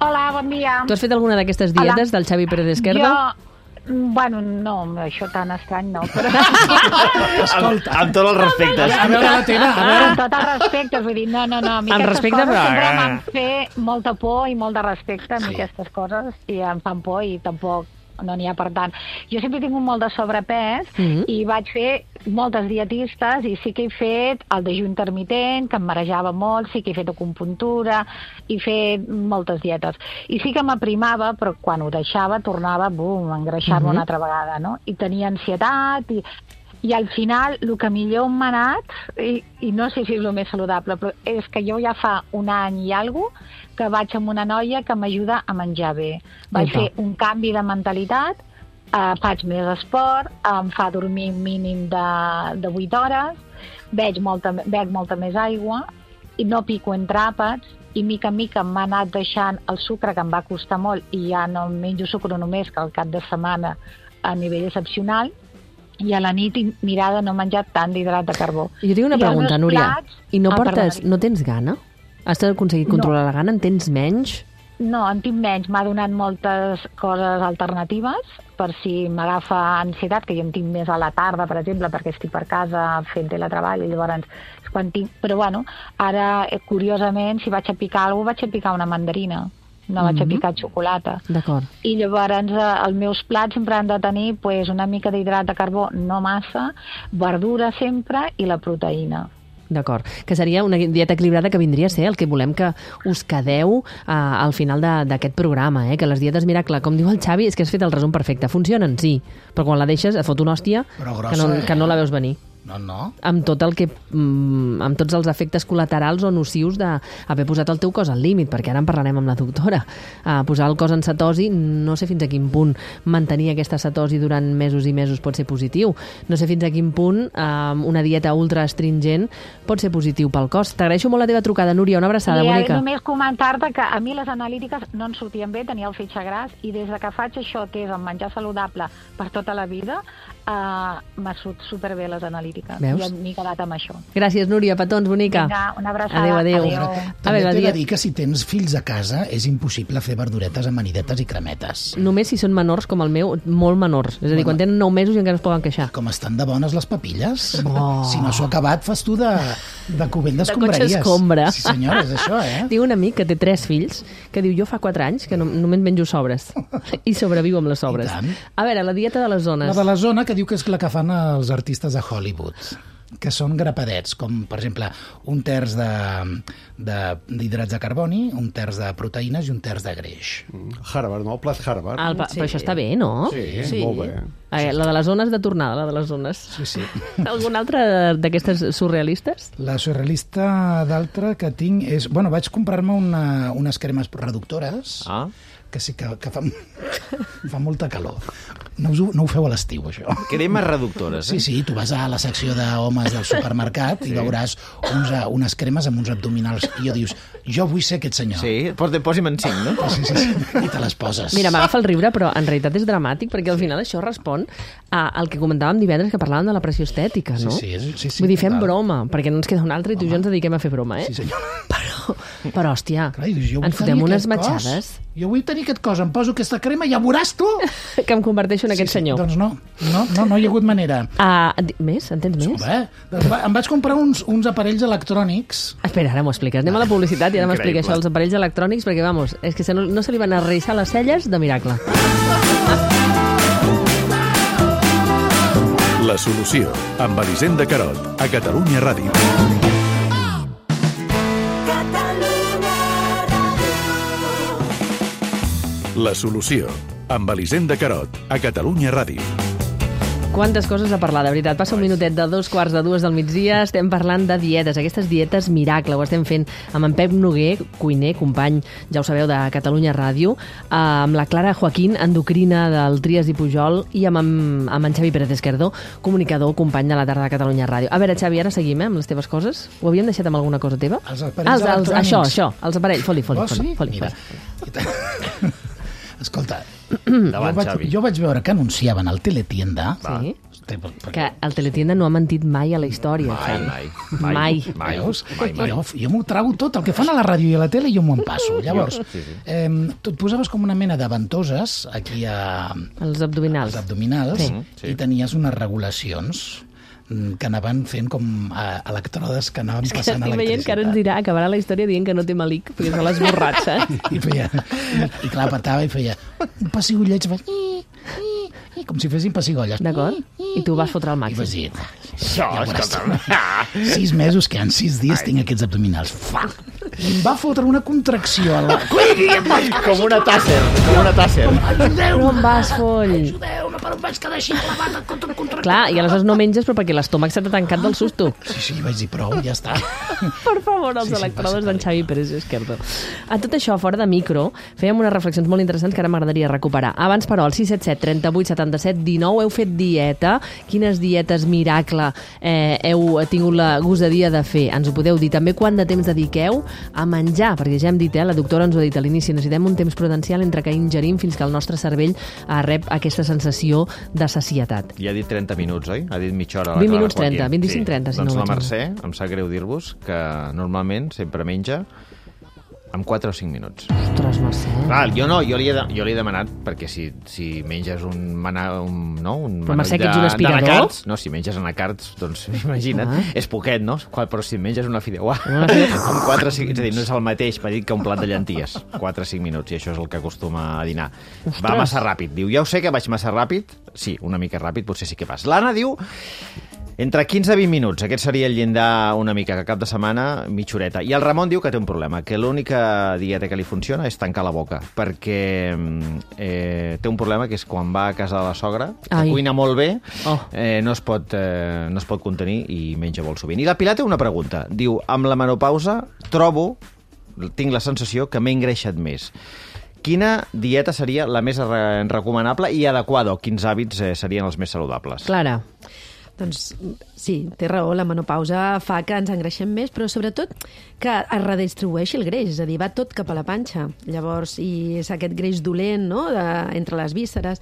Hola, bon dia. Tu has fet alguna d'aquestes dietes del Xavi Pérez Esquerdo? Jo, mm, bueno, no, això tan estrany no, però Amb, amb tots els respectes. A veure la teva, a veure... amb tot el respecte, vull dir, no, no, no, a mi Amb aquestes respecte, coses però- sempre m'han fet molta por i molt de respecte a mi aquestes coses i em fan por i tampoc no n'hi ha per tant. Jo sempre he tingut molt de sobrepès Mhm. i vaig fer moltes dietistes i sí que he fet el dejú intermitent, que em marejava molt, sí que he fet acupuntura i he fet moltes dietes. I sí que m'aprimava, però quan ho deixava tornava, bum, a engreixar-me Mhm. una altra vegada, no? I tenia ansietat i i al final, el que millor m'ha anat, i, i no sé si és el més saludable, però és que jo ja fa un any i alguna cosa que vaig amb una noia que m'ajuda a menjar bé. Vaig Epa. fer un canvi de mentalitat, eh, faig més esport, em fa dormir un mínim de, de vuit hores, veig molta, bec molta més aigua, i no pico entre àpats, i mica en mica m'ha anat deixant el sucre, que em va costar molt, i ja no menjo sucre només, que al cap de setmana a nivell excepcional, i a la nit i mirar de no menjar tant d'hidrat de carbó. Jo tinc una I els pregunta, meus Núria. plats- I no Ah, portes... perdona. No tens gana? Has aconseguit controlar la gana? En tens menys? No, en tinc menys. M'ha donat moltes coses alternatives per si m'agafa ansietat, que jo en tinc més a la tarda, per exemple, perquè estic per casa fent teletreball, i llavors és quan tinc... Però bueno, ara, eh, curiosament, si vaig a picar alguna cosa, vaig a picar una mandarina. No vaig a Mhm. picar xocolata. D'acord. I llavors eh, els meus plats sempre han de tenir pues, una mica d'hidrat de carbó, no massa, verdura sempre i la proteïna. D'acord. Que seria una dieta equilibrada que vindria a ser el que volem que us quedeu uh, al final de- d'aquest programa, eh? Que les dietes miracle, com diu el Xavi, és que has fet el resum perfecte. Funcionen, sí, però quan la deixes et fot una hòstia Però que grossa, no, eh? que no la veus venir. No, no. Amb tot el que... Mm, amb tots els efectes col·laterals o nocius d'haver posat el teu cos al límit, perquè ara en parlarem amb la doctora. Uh, posar el cos en cetosi, no sé fins a quin punt mantenir aquesta cetosi durant mesos i mesos pot ser positiu. No sé fins a quin punt uh, una dieta ultra astringent pot ser positiu pel cos. T'agraeixo molt la teva trucada, Núria. Una abraçada, I bonica. només comentar-te que a mi les analítiques no em sortien bé, tenia el fetge gras, i des de que faig això, que és el menjar saludable per tota la vida, uh, m'ha surt superbé les analítiques. Veus? I m'he quedat amb això. Gràcies, Núria. Petons, bonica. Vinga, una abraçada. Adéu, adéu. Adéu. A També veure, t'he dia... de dir que si tens fills a casa és impossible fer verduretes, amanidetes i cremetes. Només si són menors com el meu, molt menors. És a dir, Bueno. quan tenen nou mesos i encara es poden queixar. Com estan de bones les papilles. Oh. Si no s'ho ha acabat, fas tu de, de cubell De d'escombraries. cotxe escombra. Sí, senyora, és això, eh? Diu un amic que té tres fills, que diu, jo fa quatre anys que no, només menjo sobres. I sobreviu amb les sobres. I tant. A veure, la dieta de les zones. La de la zona, que diu que és la que fan els artistes a Hollywood, que són grapadets, com, per exemple, un terç de- de- d'hidrats de, de carboni, un terç de proteïnes i un terç de greix. Harvard, no? El plat Harvard. El, pa- Però això està bé, no? Sí, molt bé. Eh, la de les zones de tornada, la de les zones. Sí, sí. Alguna altra d'aquestes surrealistes? La surrealista d'altra que tinc és... Bueno, vaig comprar-me una, unes cremes reductores, Ah, que sí que, que fan, fa molta calor. No, us, ho- no ho feu a l'estiu, això. cremes reductores, Sí, eh? sí, tu vas a la secció d'homes del supermercat i veuràs uns, eh, unes cremes amb uns abdominals i jo dius, jo vull ser aquest senyor. Sí, posi- posi'm en cinc, no? Sí, sí, sí. I te les poses. Mira, m'agafa el riure, però en realitat és dramàtic, perquè al final això respon a, al que comentàvem divendres, que parlàvem de la pressió estètica, no? Sí, sí, és- sí, sí, Vull dir, fem total. broma, perquè no ens queda un altre i tu i jo ens dediquem a fer broma, eh? Sí, senyor. Però, però hòstia, Clar, i dius, jo vull ens fotem tenir unes aquest cos. matxades Jo vull tenir aquest cos, em poso aquesta crema i ja veuràs tu. que em converteixo en aquest sí, senyor. Doncs no, no, no, no hi ha hagut manera. Ah, di- més? En tens més? Home, doncs va, em vaig comprar uns, uns aparells electrònics. Espera, ara m'ho expliques. Anem a la publicitat i ara m'explica Increïble. això, els aparells electrònics, perquè, vamos, és que se no, no se li van a arrissar les celles de miracle. La solució, amb Elisenda Carot, a Catalunya Ràdio. La solució, amb Elisenda Carot, a Catalunya Ràdio. Quantes coses a parlar, de veritat. Passa un minutet de dos quarts de dues del migdia, estem parlant de dietes, aquestes dietes miracle, ho estem fent amb en Pep Noguer, cuiner, company, ja ho sabeu, de Catalunya Ràdio, amb la Clara Joaquín, endocrina del Trias i Pujol, i amb, amb, amb en Xavi Pérez Esquerdo, comunicador, company de la tarda de Catalunya Ràdio. A veure, Xavi, ara seguim, eh, amb les teves coses. Ho havíem deixat amb alguna cosa teva? Els aparells els, els, electrònics. Això, això, els aparells, foli, foli, Oh, foli, sí? foli, Mira. foli. Escolta, Davant, jo, vaig, Xavi. jo vaig veure que anunciaven al Teletienda... Sí. Hosti, perquè- Que el Teletienda no ha mentit mai a la història, Mai, Xavi. mai. Mai. Mai, Veus? mai, mai. Jo, jo m'ho trago tot, el que fan a la ràdio i a la tele jo m'ho empasso. Llavors, Sí, sí. eh, tu et posaves com una mena de ventoses aquí a, Els abdominals. als abdominals Sí. Sí. i tenies unes regulacions mm, que anaven fent com eh, electrodes que anaven És que passant estic veient que ara ens electricitat. dirà, acabarà la història dient que no té malic, perquè se l'ha esborrat, saps? I, feia, i, i clar, petava i feia un pessigolleig, fa, i, i, i, com si fessin pessigolles. D'acord? I tu vas fotre al I màxim. vas dir, Això, ja veuràs tu. escolta'm. Sis mesos, que en sis dies tinc aquests abdominals. Fa! I em va fotre una contracció a la... Com una tàsser, com una tàsser. Però em vas, foll. Ajudeu-me, per on vaig quedar així clavat contra el contracció. Clar, i aleshores no menges, però perquè l'estómac s'ha tancat del susto. Sí, sí, vaig dir prou, ja està. Per favor, els Sí, sí, electrodes passa d'en per Xavi Pérez Esquerdo. A tot això, fora de micro, fèiem unes reflexions molt interessants que ara m'agradaria recuperar. Abans, però, al sis set set, trenta vuit, setanta-set, dinou, heu fet dieta. Quines dietes miracle eh, heu tingut la gosadia de fer? Ens ho podeu dir. També quant de temps dediqueu a menjar, perquè ja hem dit, eh, la doctora ens ho ha dit a l'inici, necessitem un temps prudencial entre que ingerim fins que el nostre cervell eh, rep aquesta sensació de sacietat. Ja ha dit trenta minuts, oi? Ha dit mitja hora. la vint Clara minuts Joaquín. trenta, vint-i-cinc trenta, si doncs no la vaig Mercè, em sap greu dir-vos, que normalment sempre menja amb quatre o cinc minuts. Ostres, Mercè. Clar, jo no, jo li he, de, jo li he demanat, perquè si, si menges un, mana, un, no, un Però, Mercè, manoll que ets un aspirador? d'anacards, no, si menges anacards, doncs imagina't, Ah. és poquet, no? Qua- Però si menges una fideuà, Una fideuà. amb quatre o cinc, és a dir, no és el mateix, m'ha dit que un plat de llenties, quatre o cinc minuts, i això és el que acostuma a dinar. Ostres. Va massa ràpid, diu, ja ho sé que vaig massa ràpid, sí, una mica ràpid, potser sí que vas. L'Anna diu Entre quinze i vint minuts, aquest seria el llindar una mica, que cap de setmana, mitja horeta. I el Ramon diu que té un problema, que l'única dieta que li funciona és tancar la boca, perquè eh, té un problema que és quan va a casa de la sogra, que Ai. cuina molt bé, Oh. eh, no, es pot, eh, no es pot contenir i menja molt sovint. I la Pilar té una pregunta. Diu, amb la menopausa trobo, tinc la sensació que m'he engreixat més. Quina dieta seria la més re- recomanable i adequada, o quins hàbits eh, serien els més saludables? Clara. Doncs sí, té raó, la menopausa fa que ens engreixem més, però sobretot que es redistribueixi el greix, és a dir, va tot cap a la panxa. Llavors, i és aquest greix dolent, no?, de, entre les vísceres.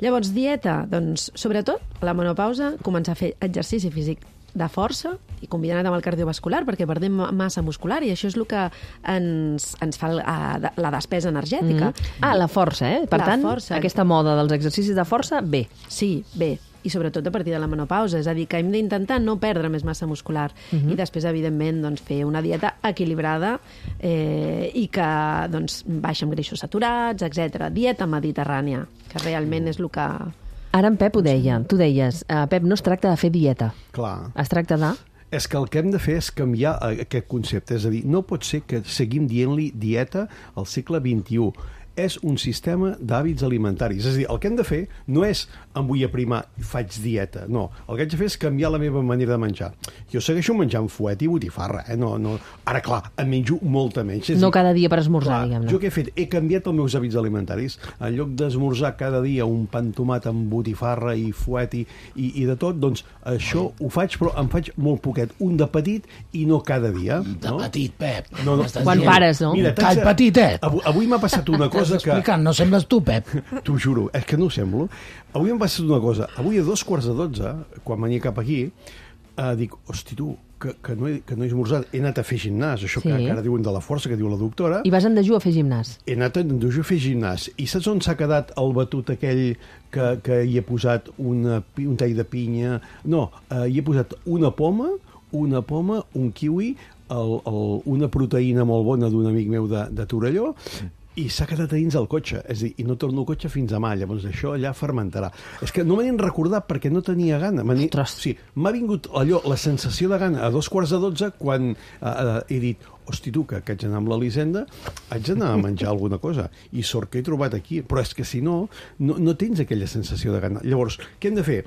Llavors, dieta, doncs, sobretot, a la menopausa, començar a fer exercici físic de força i combinat amb el cardiovascular, perquè perdem massa muscular i això és el que ens, ens fa el, a, la despesa energètica. Mm. Ah, la força, eh? Per La tant, força. aquesta moda dels exercicis de força, bé. Sí, bé, i sobretot a partir de la menopausa, és a dir, que hem d'intentar no perdre més massa muscular Mhm. i després, evidentment, doncs, fer una dieta equilibrada eh, i que doncs, baixa amb greixos saturats, etcètera. Dieta mediterrània, que realment és el que... Ara en Pep ho deia, tu deies, uh, Pep, no es tracta de fer dieta, Clar. es tracta de... És que el que hem de fer és canviar eh, aquest concepte. És a dir, no pot ser que seguim dient-li dieta al segle vint-i-u. És un sistema d'hàbits alimentaris. És a dir, el que hem de fer no és em vull aprimar i faig dieta. No, el que haig de fer és canviar la meva manera de menjar. Jo segueixo menjant fuet i botifarra. Eh? No, no. Ara, clar, em menjo molta menys. És No dir, cada dia per esmorzar, clar, diguem-ne. jo què he fet? He canviat els meus hàbits alimentaris. En lloc d'esmorzar cada dia un pa amb tomat amb botifarra i fuet i, i, i de tot, doncs això ho faig, però em faig molt poquet. Un de petit i no cada dia. De no? petit, Pep. No, no. M'estàs Quan dient? pares, no? Mira, Call t'haig de- petitet. Avui, avui m'ha passat una cosa Estàs que... explicant, no sembles tu, Pep. T'ho juro, és que no ho semblo. Avui em va passar una cosa. Avui a dos quarts de dotze, quan venia cap aquí, eh, dic, hosti, tu, que, que, no he, que no he esmorzat. He anat a fer gimnàs, això Sí. que, que ara diuen de la força, que diu la doctora. I vas en dejú a fer gimnàs. He anat a dejú a fer gimnàs. I saps on s'ha quedat el batut aquell que, que hi he posat una, pi- un tall de pinya? No, eh, hi he posat una poma, una poma, un kiwi, el, el, una proteïna molt bona d'un amic meu de, de Torelló, i s'ha quedat a dins el cotxe, és a dir, i no torno al cotxe fins demà, llavors això allà fermentarà. És que no me n'he recordat perquè no tenia gana. M'ha ni- Ostres. sí, m'ha vingut allò, la sensació de gana a dos quarts de dotze quan eh, eh, he dit, hosti tu, que, que haig d'anar amb l'Elisenda, haig d'anar a menjar alguna cosa. I sort que he trobat aquí, però és que si no, no, no tens aquella sensació de gana. Llavors, què hem de fer?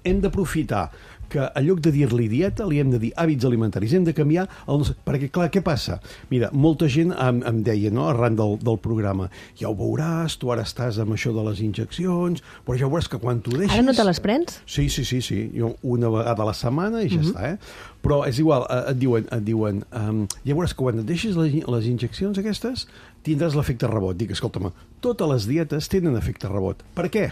Hem d'aprofitar que en lloc de dir-li dieta, li hem de dir hàbits alimentaris. Hem de canviar el nostre... Perquè, clar, què passa? Mira, molta gent em, em deia, no?, arran del, del programa, ja ho veuràs, tu ara estàs amb això de les injeccions, però ja veuràs que quan t'ho deixis... Ara no te les prens? Sí, sí, sí, sí. Jo una vegada a la setmana i ja Mhm. està, eh? Però és igual, eh, et diuen, et diuen um, ja veuràs que quan et deixis les, les injeccions aquestes tindràs l'efecte rebot. Dic, escolta'm, totes les dietes tenen efecte rebot. Per què?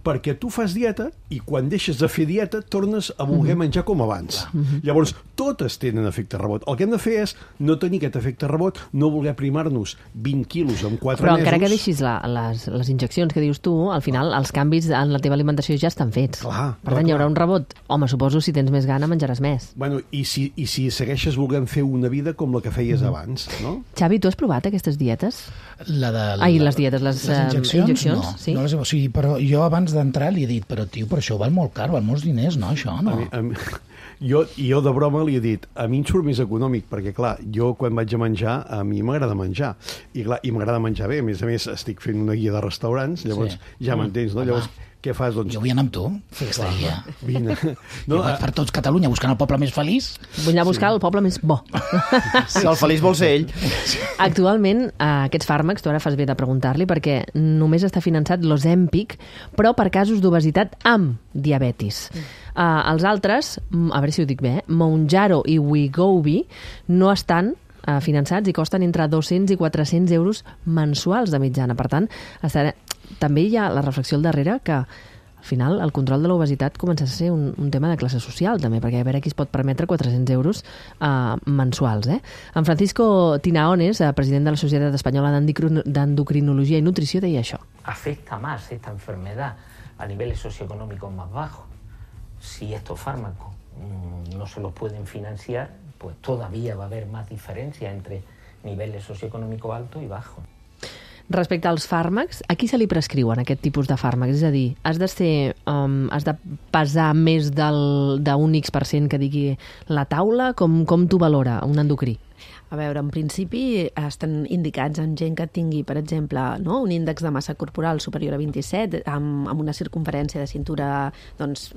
Perquè tu fas dieta i quan deixes de fer dieta tornes a voler Mhm. menjar com abans. Llavors, totes tenen efecte rebot. El que hem de fer és no tenir aquest efecte rebot, no voler primar-nos vint quilos en quatre Però mesos. encara que deixis la, les, les injeccions que dius tu, al final els canvis en la teva alimentació ja estan fets. Clar, per clar, tant, hi haurà clar. un rebot. Home, suposo si tens més gana menjaràs més. Bueno, i si, i si segueixes volent fer una vida com la que feies abans, no? Xavi, tu has provat aquestes dietes? La de, la, Ai, les dietes, les, les eh, injeccions, injeccions, no, sí? no les, he- o sigui, però jo abans d'entrar li he dit, però tio, però això val molt car, val molts diners, no, això, no? A mi, a mi, jo, i jo de broma li he dit, a mi em surt més econòmic, perquè clar, jo quan vaig a menjar, a mi m'agrada menjar, i clar, i m'agrada menjar bé, a més a més estic fent una guia de restaurants, llavors Sí. ja m'entens, no? Home. Llavors, què fas? Doncs, Jo vull anar amb tu, fer aquesta guia. vine. No, No, vaig per tots Catalunya buscant el poble més feliç. Vull anar a buscar el poble més bo. Si el feliç vol ser ell. Actualment, eh, aquests fàrmacs, tu ara fas bé de preguntar-li, perquè només està finançat l'Ozempic, però per casos d'obesitat amb diabetis. Eh, els altres, mm, a veure si ho dic bé, eh, Mounjaro i Wegovy, no estan eh, finançats i costen entre dos-cents i quatre-cents euros mensuals de mitjana. Per tant, estarà... també hi ha la reflexió al darrere que al final el control de l'obesitat comença a ser un, un tema de classe social també, perquè a veure qui es pot permetre quatre-cents euros eh, mensuals. Eh? En Francisco Tinaones, eh, president de la Societat Espanyola d'Endocrin- d'Endocrinologia i Nutrició, deia això. Afecta más esta enfermedad a niveles socioeconómicos más bajos. Si estos fármacos mmm, no se los pueden financiar, pues todavía va a haber más diferencia entre niveles socioeconómicos altos y bajos. Respecte als fàrmacs, a qui se li prescriuen aquest tipus de fàrmacs? És a dir, has de ser, um, has de pesar més del, d'un X per cent que digui la taula? Com, com t'ho valora un endocrí? A veure, en principi estan indicats en gent que tingui, per exemple, no, un índex de massa corporal superior a vint-i-set, amb, amb una circunferència de cintura doncs,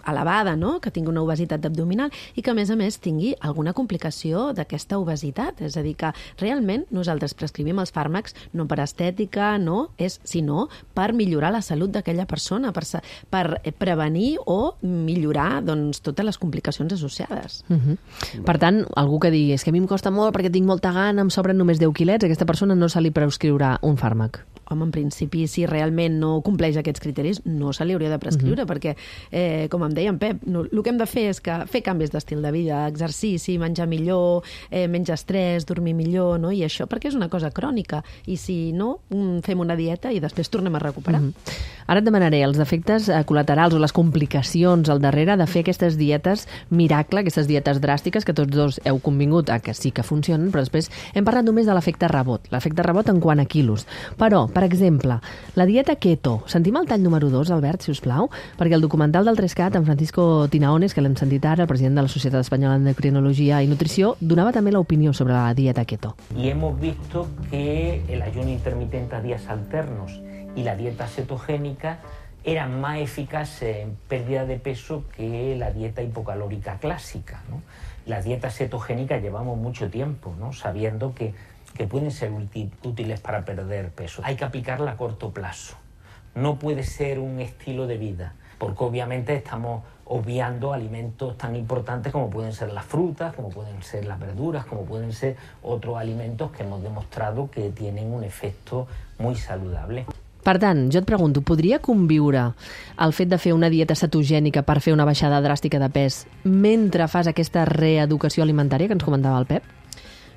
elevada, no? Que tingui una obesitat abdominal i que, a més a més, tingui alguna complicació d'aquesta obesitat. És a dir, que realment nosaltres prescrivim els fàrmacs no per estètica, no, és, sinó per millorar la salut d'aquella persona, per, per prevenir o millorar doncs, totes les complicacions associades. Uh-huh. Per tant, algú que digui, és que a mi em costa molt perquè tinc molta gana, em sobren només deu quilets, a aquesta persona no se li prescriurà un fàrmac. Home, en principi, si realment no compleix aquests criteris, no se li hauria de prescriure, uh-huh. perquè, eh, com em deia en Pep, no, el que hem de fer és que fer canvis d'estil de vida, exercici, menjar millor, eh, menjar estrès, dormir millor, no? I això perquè és una cosa crònica. I si no, fem una dieta i després tornem a recuperar. Uh-huh. Ara et demanaré els efectes col·laterals o les complicacions al darrere de fer aquestes dietes miracle, aquestes dietes dràstiques que tots dos heu convingut a que sí que funcionen, però després hem parlat només de l'efecte rebot, l'efecte rebot en quant a quilos. Però, per exemple, la dieta keto. Sentim el tall número dos, Albert, si us plau, perquè el documental del tres cat, en Francisco Tinaones, que l'hem sentit ara, el president de la Societat Espanyola d'Endocrinologia i Nutrició, donava també l'opinió sobre la dieta keto. Y hemos visto que el ayuno intermitente a días alternos y la dieta cetogénica eran más eficaces en pérdida de peso que la dieta hipocalórica clásica, ¿no? Las dietas cetogénicas llevamos mucho tiempo, ¿no? Sabiendo que, que pueden ser útiles para perder peso. Hay que aplicarla a corto plazo. No puede ser un estilo de vida, porque obviamente estamos obviando alimentos tan importantes como pueden ser las frutas, como pueden ser las verduras, como pueden ser otros alimentos que hemos demostrado que tienen un efecto muy saludable. Per tant, jo et pregunto, podria conviure el fet de fer una dieta cetogènica per fer una baixada dràstica de pes mentre fas aquesta reeducació alimentària que ens comentava el Pep?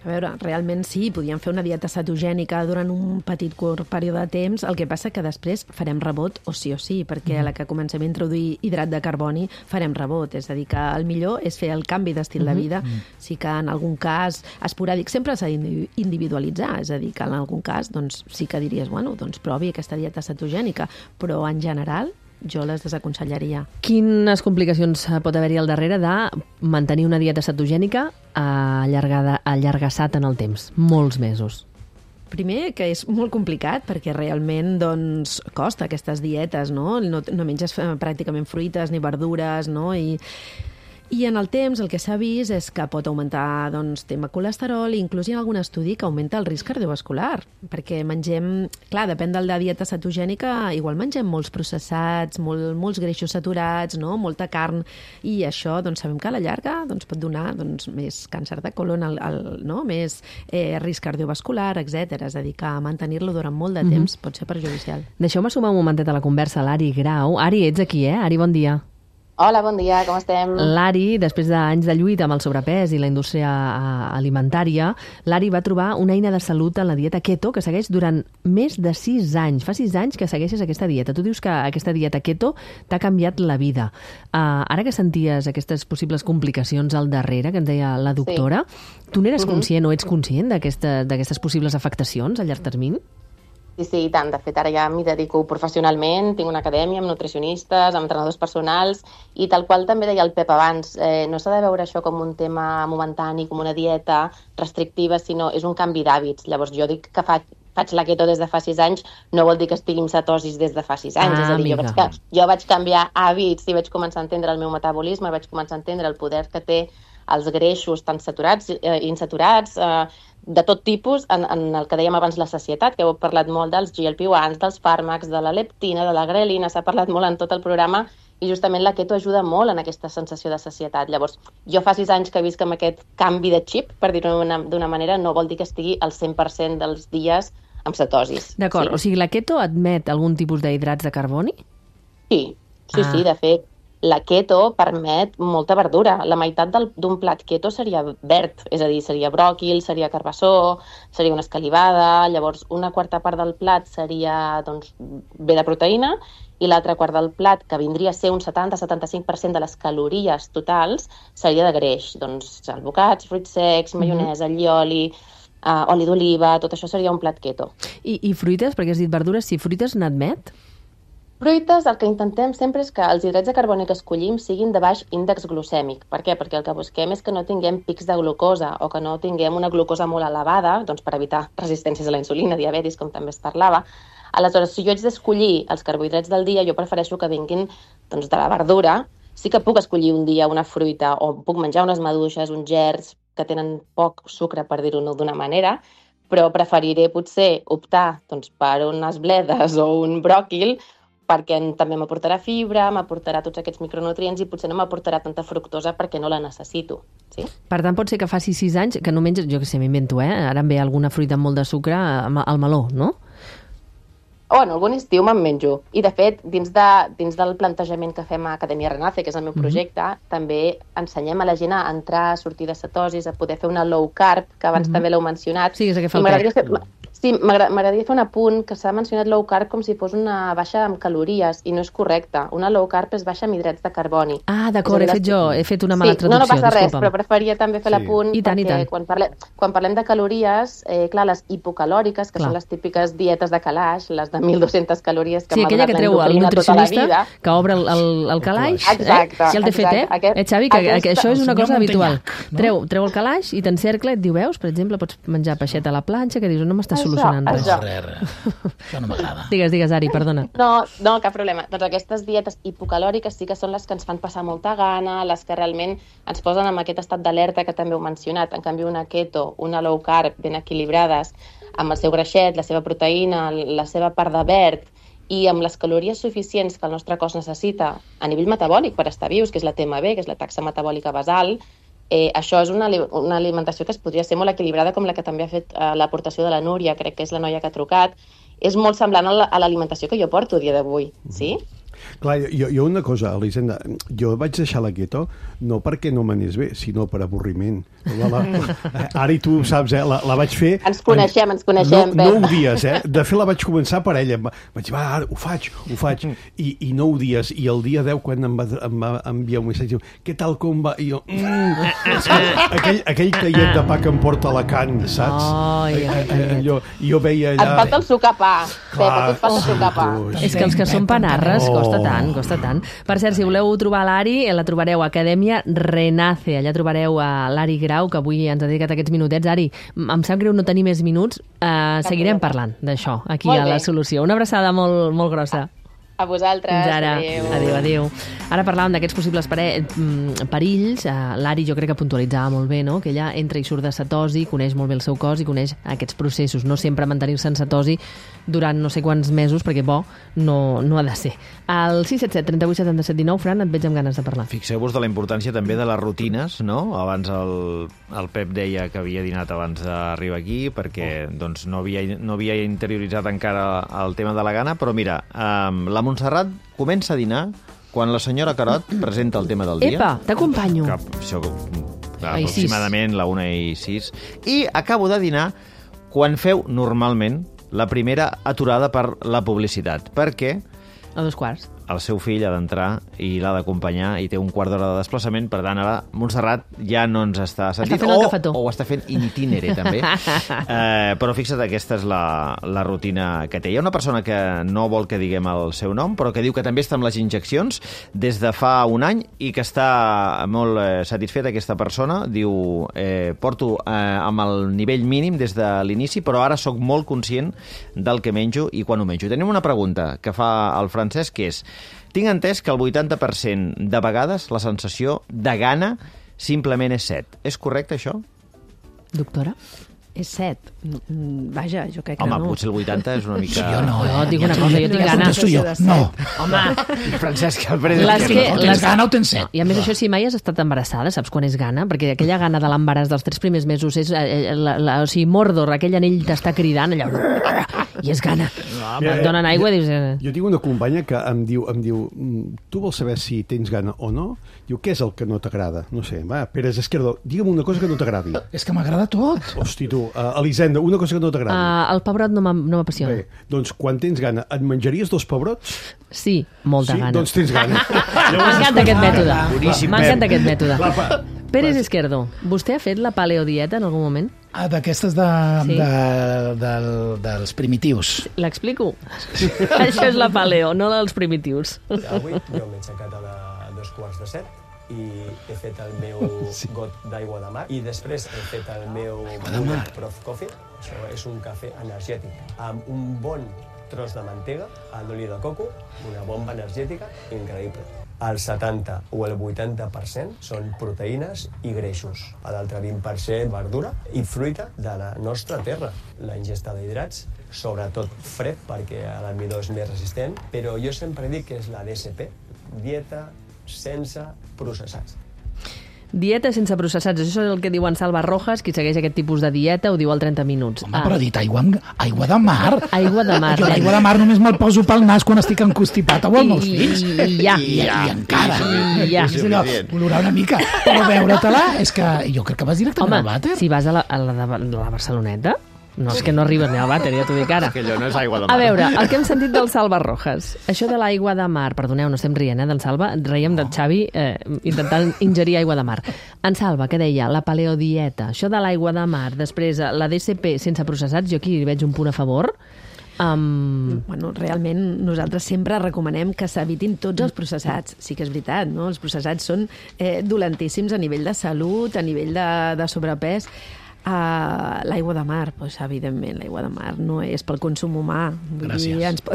A veure, realment sí, podíem fer una dieta cetogènica durant un petit curt període de temps, el que passa que després farem rebot o sí o sí, perquè a la que comencem a introduir hidrat de carboni farem rebot, és a dir, que el millor és fer el canvi d'estil de vida, sí que en algun cas esporàdic sempre s'ha d'individualitzar, és a dir, que en algun cas doncs, sí que diries, bueno, doncs provi aquesta dieta cetogènica, però en general jo les desaconsellaria. Quines complicacions pot haver-hi al darrere de mantenir una dieta cetogènica allargada, allargassat en el temps, molts mesos? Primer, que és molt complicat perquè realment doncs, costa aquestes dietes, no? No, no menges pràcticament fruites ni verdures, no? I, I en el temps el que s'ha vist és que pot augmentar doncs, tema colesterol i inclús hi ha algun estudi que augmenta el risc cardiovascular, perquè mengem, clar, depèn de la dieta cetogènica, igual mengem molts processats, molt, molts greixos saturats, no? Molta carn, i això doncs, sabem que a la llarga doncs, pot donar doncs, més càncer de colon, el, el, no? Més eh, risc cardiovascular, etcètera. És a dir, que mantenir-lo durant molt de temps mm-hmm. pot ser perjudicial. Deixeu-me sumar un momentet a la conversa l'Ari Grau. Ari, ets aquí, eh? Ari, bon dia. Hola, bon dia, com estem? L'Ari, després d'anys de lluita amb el sobrepès i la indústria alimentària, l'Ari va trobar una eina de salut en la dieta keto que segueix durant més de sis anys. Fa sis anys que segueixes aquesta dieta. Tu dius que aquesta dieta keto t'ha canviat la vida. Uh, ara que senties aquestes possibles complicacions al darrere, que ens deia la doctora, sí. Tu n'eres uh-huh. conscient o ets conscient d'aquestes aquesta, possibles afectacions a llarg termini? Sí, sí, i tant. De fet, ara ja m'hi dedico professionalment, tinc una acadèmia amb nutricionistes, amb entrenadors personals, i tal qual també deia el Pep abans, eh, no s'ha de veure això com un tema momentani, com una dieta restrictiva, sinó és un canvi d'hàbits. Llavors, jo dic que faig, faig la keto des de fa sis anys, no vol dir que estigui en cetosis des de fa sis anys. Ah, és a dir, jo vaig, jo vaig canviar hàbits i vaig començar a entendre el meu metabolisme, vaig començar a entendre el poder que té els greixos tant saturats i eh, insaturats, eh, de tot tipus, en, en el que dèiem abans la sacietat, que heu parlat molt dels G L P one, dels fàrmacs, de la leptina, de la grelina, s'ha parlat molt en tot el programa, i justament la keto ajuda molt en aquesta sensació de sacietat. Llavors, jo fa sis anys que visc amb aquest canvi de xip, per dir-ho d'una manera, no vol dir que estigui al cent per cent dels dies amb cetosis. D'acord, sí. O sigui, la keto admet algun tipus d'hidrats de carboni? Sí, sí, ah. sí, de fet, la keto permet molta verdura. La meitat d'un plat keto seria verd, és a dir, seria bròquil, seria carbassó, seria una escalivada, llavors una quarta part del plat seria doncs, bé de proteïna i l'altra part del plat, que vindria a ser un setanta a setanta-cinc per cent de les calories totals, seria de greix. Doncs albocats, fruits secs, maionesa, allioli, uh, oli d'oliva, tot això seria un plat keto. I, I fruites, perquè has dit verdures, si fruites n'admet? Fruites, el que intentem sempre és que els hidrats de carboni que escollim siguin de baix índex glucèmic. Per què? Perquè el que busquem és que no tinguem pics de glucosa o que no tinguem una glucosa molt elevada, doncs per evitar resistències a la insulina, diabetis, com també es parlava. Aleshores, si jo haig d'escollir els carbohidrats del dia, jo prefereixo que vinguin doncs, de la verdura. Sí que puc escollir un dia una fruita o puc menjar unes maduixes, uns gerds que tenen poc sucre, per dir-ho d'una manera, però preferiré potser optar doncs, per unes bledes o un bròquil perquè també m'aportarà fibra, m'aportarà tots aquests micronutrients i potser no m'aportarà tanta fructosa perquè no la necessito. Sí? Per tant, pot ser que faci sis anys que no menges, jo que sé, m'invento, eh? Ara em ve alguna fruita amb molt de sucre al meló, no? Bueno, algun estiu me'n menjo. I, de fet, dins, de, dins del plantejament que fem a Acadèmia Renace, que és el meu projecte, mm-hmm. també ensenyem a la gent a entrar, a sortir de cetosis, a poder fer una low carb, que abans mm-hmm. també l'heu mencionat. Sí, és el que fa el pec. Sí, m'agradaria fer un apunt que s'ha mencionat low carb com si fos una baixa amb calories i no és correcte. Una low carb és baixa amb hidrats de carboni. Ah, d'acord, he fet jo, he fet una mala sí, traducció, no, no passa res, disculpa'm. però preferia també fer sí. l'apunt I tant, perquè i tant. Quan, parlem, quan parlem de calories, eh, clar, les hipocalòriques, que clar. són les típiques dietes de calaix, les de mil dues-centes calories que sí, aquella que treu el nutricionista, que obre el, el, el calaix, exacte, eh? Ja el té fet, eh? Aquest, eh, Xavi, que, aquesta... que això és una cosa habitual. No? Treu, treu el calaix i t'encercla i et diu, veus, per exemple, pots menjar peixeta a la planxa, que dius, no m'està solucionant res. Això. Això no m'agrada. Digues, digues, Ari, perdona. No, no, cap problema. Doncs aquestes dietes hipocalòriques sí que són les que ens fan passar molta gana, les que realment ens posen en aquest estat d'alerta que també heu mencionat. En canvi, una keto, una low carb, ben equilibrades, amb el seu greixet, la seva proteïna, la seva part de verd, i amb les calories suficients que el nostre cos necessita a nivell metabòlic per estar vius, que és la T M B, que és la taxa metabòlica basal, Eh, això és una, una alimentació que es podria ser molt equilibrada, com la que també ha fet eh, l'aportació de la Núria, crec que és la noia que ha trucat. És molt semblant a l'alimentació que jo porto a dia d'avui, sí? Clar, jo, jo una cosa, Elisenda, jo vaig deixar la keto no perquè no m'anés bé, sinó per avorriment. La, la, ara i tu saps, eh, la, la vaig fer... Ens coneixem, ens coneixem, no, nou dies, eh? De fet, la vaig començar per ella. Vaig dir, va, ara ho faig, ho faig. I, i nou dies, i el dia deu, quan em va, em va enviar un missatge, què tal com va? I jo, mm, aquell, aquell tallet de pa que em porta a Alacant, saps? Oh, ja, allò, I jo veia allà... Et falta el sucar pa, Pep, et falta el sucar pa. És que els que són panarres costa tant, costa tant. Per cert, si voleu trobar l'Ari, la trobareu a Acadèmia Renace. Allà trobareu a l'Ari Grau, que avui ens ha dedicat aquests minutets. Ari, em sap greu no tenir més minuts. Uh, seguirem parlant d'això aquí a La Solució. Una abraçada molt, molt grossa. A vosaltres. Fins ara. Adéu. Adéu, adéu. Ara parlàvem d'aquests possibles pare... perills. L'Ari jo crec que puntualitzava molt bé, no? Que ella entra i surt de cetosi, coneix molt bé el seu cos i coneix aquests processos. No sempre mantenir-se en cetosi durant no sé quants mesos, perquè bo no, no ha de ser. Al sis set set, trenta-vuit, setanta-set, dinou, Fran, et veig amb ganes de parlar. Fixeu-vos de la importància també de les rutines, no? Abans el, el Pep deia que havia dinat abans d'arribar aquí, perquè doncs, no, havia, no havia interioritzat encara el tema de la gana, però mira, um, la Montserrat comença a dinar quan la senyora Carot presenta el tema del dia. Epa, t'acompanyo. Que, això, clar, aproximadament la una i sis. I acabo de dinar quan feu normalment la primera aturada per la publicitat. Perquè a dos quarts. El seu fill ha d'entrar i l'ha d'acompanyar i té un quart d'hora de desplaçament, per tant, ara Montserrat ja no ens està sentint. Està fent el cafetó. O, o està fent in itinere, també. eh, però fixa't, aquesta és la, la rutina que té. Hi ha una persona que no vol que diguem el seu nom, però que diu que també està amb les injeccions des de fa un any i que està molt eh, satisfeta aquesta persona. Diu, eh, porto eh, amb el nivell mínim des de l'inici, però ara sóc molt conscient del que menjo i quan ho menjo. Tenim una pregunta que fa el Francesc, que és: tinc entès que el vuitanta per cent de vegades la sensació de gana simplement és set. És correcte, això? Doctora? És set. Vaja, jo crec que Home, no. Home, potser el vuitanta és una mica... Sí, jo no, eh? No, et dic una cosa, jo tinc gana. Jo. No. Home, Francesc Alfred... Les que, no tens gana o tens set? I a més, això, si mai has estat embarassada, saps quan és gana? Perquè aquella gana de l'embaràs dels tres primers mesos és... Eh, la, la, o sigui, Mordor, aquell anell t'està cridant allà... I és gana. No, et donen aigua i dius... Eh. Jo tinc una companya que em diu, em diu tu vols saber si tens gana o no? Diu, què és el que no t'agrada? No sé, va, Pérez Esquerdo, digue'm una cosa que no t'agradi. És que m'agrada tot. Hosti, tu, uh, Elisenda, una cosa que no t'agradi. Uh, el pebrot no m'apassiona. Bé, doncs quan tens gana, et menjaries dos pebrots? Sí, molta sí? gana. Doncs tens gana. M'encanta aquest mètode. Boníssim, M'encanta aquest mètode. La pa... Pérez Esquerdo, vostè ha fet la paleodieta en algun moment? Ah, d'aquestes de, Sí. de, de, dels primitius. L'explico? Això és la paleo, no la dels primitius. Avui jo m'he aixecat a, la, a dos quarts de set i he fet el meu sí. got d'aigua de mar i després he fet el meu Prof Coffee. Això és un cafè energètic amb un bon tros de mantega, d'oli de coco, una bomba energètica increïble. El setanta o el vuitanta per cent són proteïnes i greixos. L'altre vint per cent verdura i fruita de la nostra terra. La ingesta d'hidrats, sobretot fred, perquè l'almidó és més resistent, però jo sempre dic que és la D S P, dieta sense processats. Dieta sense processats, això és el que diu en Salva Rojas, qui segueix aquest tipus de dieta, ho diu al trenta minuts. Home, ah. però ha dit aigua, amb, aigua de mar. Aigua de mar. Jo l'aigua de mar només me'l poso pel nas quan estic encostipat amb els meus I, fills. I, i ja. I, i encara. I ja. És allò, olorar una mica. Però veure-te-la, és que jo crec que vas directament Home, al vàter. si vas a la, a la, de, la Barceloneta, no és que no arribes ni al vàter, ja t'ho dic ara. Que allò no és aigua de mar. A veure, el que hem sentit del Salva Rojas, això de l'aigua de mar, perdoneu, no estem rient, eh, del Salva, reiem del Xavi eh, intentant ingerir aigua de mar. En Salva, que deia, la paleodieta, això de l'aigua de mar, després la D S P sense processats, jo aquí hi veig un punt a favor. Um... Bueno, realment nosaltres sempre recomanem que s'evitin tots els processats. Sí que és veritat, no? Els processats són eh, dolentíssims a nivell de salut, a nivell de, de sobrepès. Uh, l'aigua de mar, doncs, evidentment, l'aigua de mar no és pel consum humà. Vull Gràcies. dir, ens pot...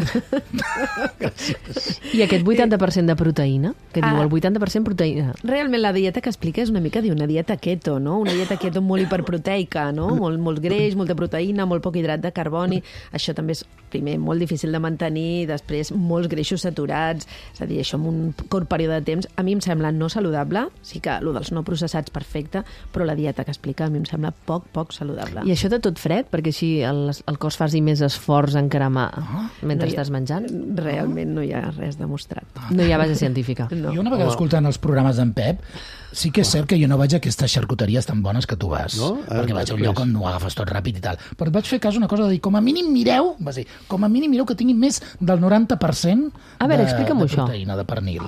I aquest vuitanta per cent de proteïna, que diu Ah. el vuitanta per cent proteïna. Realment la dieta que explica és una mica d'una dieta keto, no? Una dieta keto molt hiperproteica, no? Molt, molt greix, molta proteïna, molt poc hidrat de carboni. Això també és, primer, molt difícil de mantenir, després molts greixos saturats, és a dir, això en un curt període de temps, a mi em sembla no saludable, sí que el dels no processats perfecte, però la dieta que explica a mi em sembla poc, poc saludable. I això de tot fred, perquè així el, el cos faci més esforç en cremar oh, mentre no hi ha, estàs menjant? Realment no hi ha res demostrat. No hi ha base científica. No. Jo una vegada escoltant els programes d'en Pep, sí que és cert que jo no vaig a aquestes xarcuteries tan bones que tu vas, no? perquè vaig a un lloc on no ho agafes tot ràpid i tal. Però et vaig fer cas una cosa de dir, com a mínim mireu, va dir, com a mínim mireu que tinguin més del noranta per cent a veure, de, explica'm de això. proteïna, de pernil.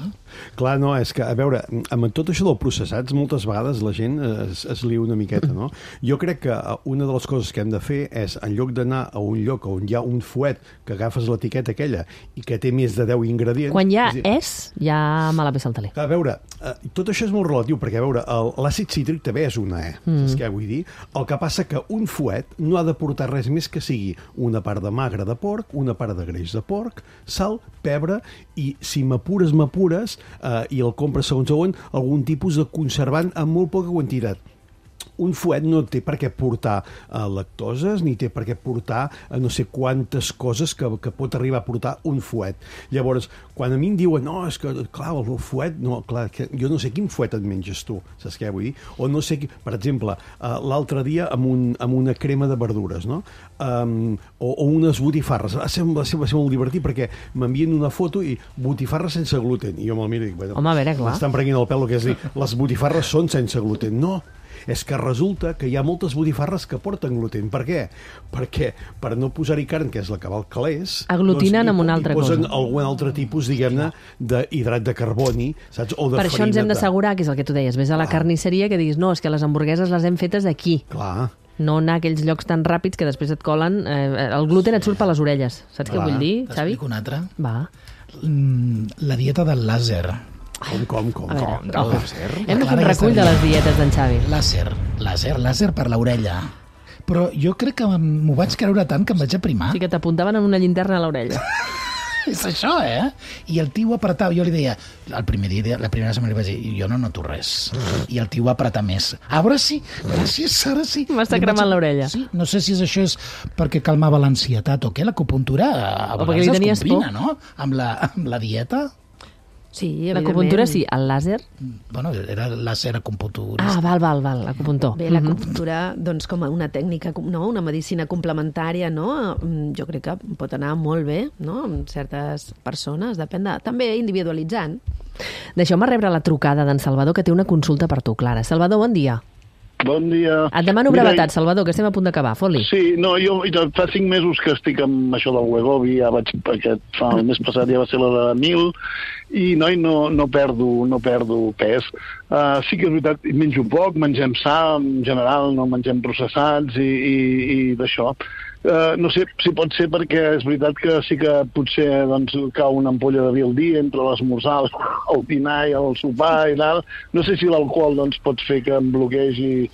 Clar, no, és que, a veure, amb tot això del processats, moltes vegades la gent es, es lia una miqueta, no? Jo crec que una de les coses que hem de fer és, en lloc d'anar a un lloc on hi ha un fuet que agafes l'etiqueta aquella i que té més de deu ingredients... Quan hi ha és, és, ja me la pesa al taler. A veure, tot això és molt relatiu, perquè, a veure, l'àcid cítric també és una E, mm. saps què vull dir? El que passa que un fuet no ha de portar res més que sigui una part de magre de porc, una part de greix de porc, sal, pebre, i si m'apures, m'apures, eh, i el compres segons segons, algun tipus de conservant amb molt poca quantitat. Un fuet no té per què portar uh, lactoses, ni té per què portar uh, no sé quantes coses que, que pot arribar a portar un fuet. Llavors, quan a mi em diuen, no, és que, clar, el fuet, no, clar, que jo no sé quin fuet et menges tu, saps què vull dir? O no sé, per exemple, uh, l'altre dia amb, un, amb una crema de verdures, no? Um, o, o unes botifarres. Va ser, va, ser, va ser molt divertit perquè m'envien una foto i botifarres sense gluten. I jo me'l miro i dic, bueno, home, a veure, clar. m'estan prenent el pèl, el que és dir, les botifarres són sense gluten. No, és que resulta que hi ha moltes botifarres que porten gluten. Per què? Perquè per no posar-hi carn, que és la que val calés... Aglutinen doncs, amb una altra cosa. Posen algun altre tipus, diguem-ne, d'hidrat de carboni, saps? O de per això ens hem de... d'assegurar, que és el que tu deies, ves a la carnisseria que diguis, no, és que les hamburgueses les hem fetes aquí. Clar. No anar a aquells llocs tan ràpids que després et colen... Eh, el gluten et surt per les orelles. Saps Clar. què vull dir, Xavi? T'explico una altra. Va. La dieta del làser. Com, com, com? A veure, com? oh. Hem de fer un recull de les dietes d'en Xavi. Làser, làser, làser per l'orella. Però jo crec que m'ho vaig creure tant que em vaig aprimar. Sí, que t'apuntaven amb una llinterna a l'orella. És això, eh? I el tio apretava, jo li deia, el primer dia, la primera setmana li vaig dir, jo no noto res. I el tio va apretar més. Ara sí, gràcies, ara sí. M'està cremant vaig... l'orella. Sí, no sé si això és perquè calmava l'ansietat o què, l'acupuntura a o perquè li tenies combina, por. No? Amb la, amb la dieta. Sí, evidentment. L'acupuntura sí, el làser... Bueno, era làser acupuntura. Ah, val, val, val, l'acupuntor. Bé, l'acupuntura, doncs, com una tècnica, no? Una medicina complementària, no? Jo crec que pot anar molt bé, no? Amb certes persones, depèn de... També individualitzant. Deixeu-me rebre la trucada d'en Salvador, que té una consulta per tu, Clara. Salvador, bon dia. Bon dia. Et demano brevetat, Salvador, que estem a punt d'acabar. Fot-li. Sí, no, jo fa cinc mesos que estic amb això del Wegovy, ja vaig, aquest, fa el mes passat ja va ser la de mil, i noi, no, no, perdo, no perdo pes. Uh, sí que és veritat, menjo poc, mengem sa, en general, no mengem processats i, i, i d'això. Uh, no sé si pot ser perquè és veritat que sí que potser doncs, cau una ampolla de vi al dia entre l'esmorzar, el dinar i el sopar i tal. No sé si l'alcohol doncs, pot fer que em bloquegi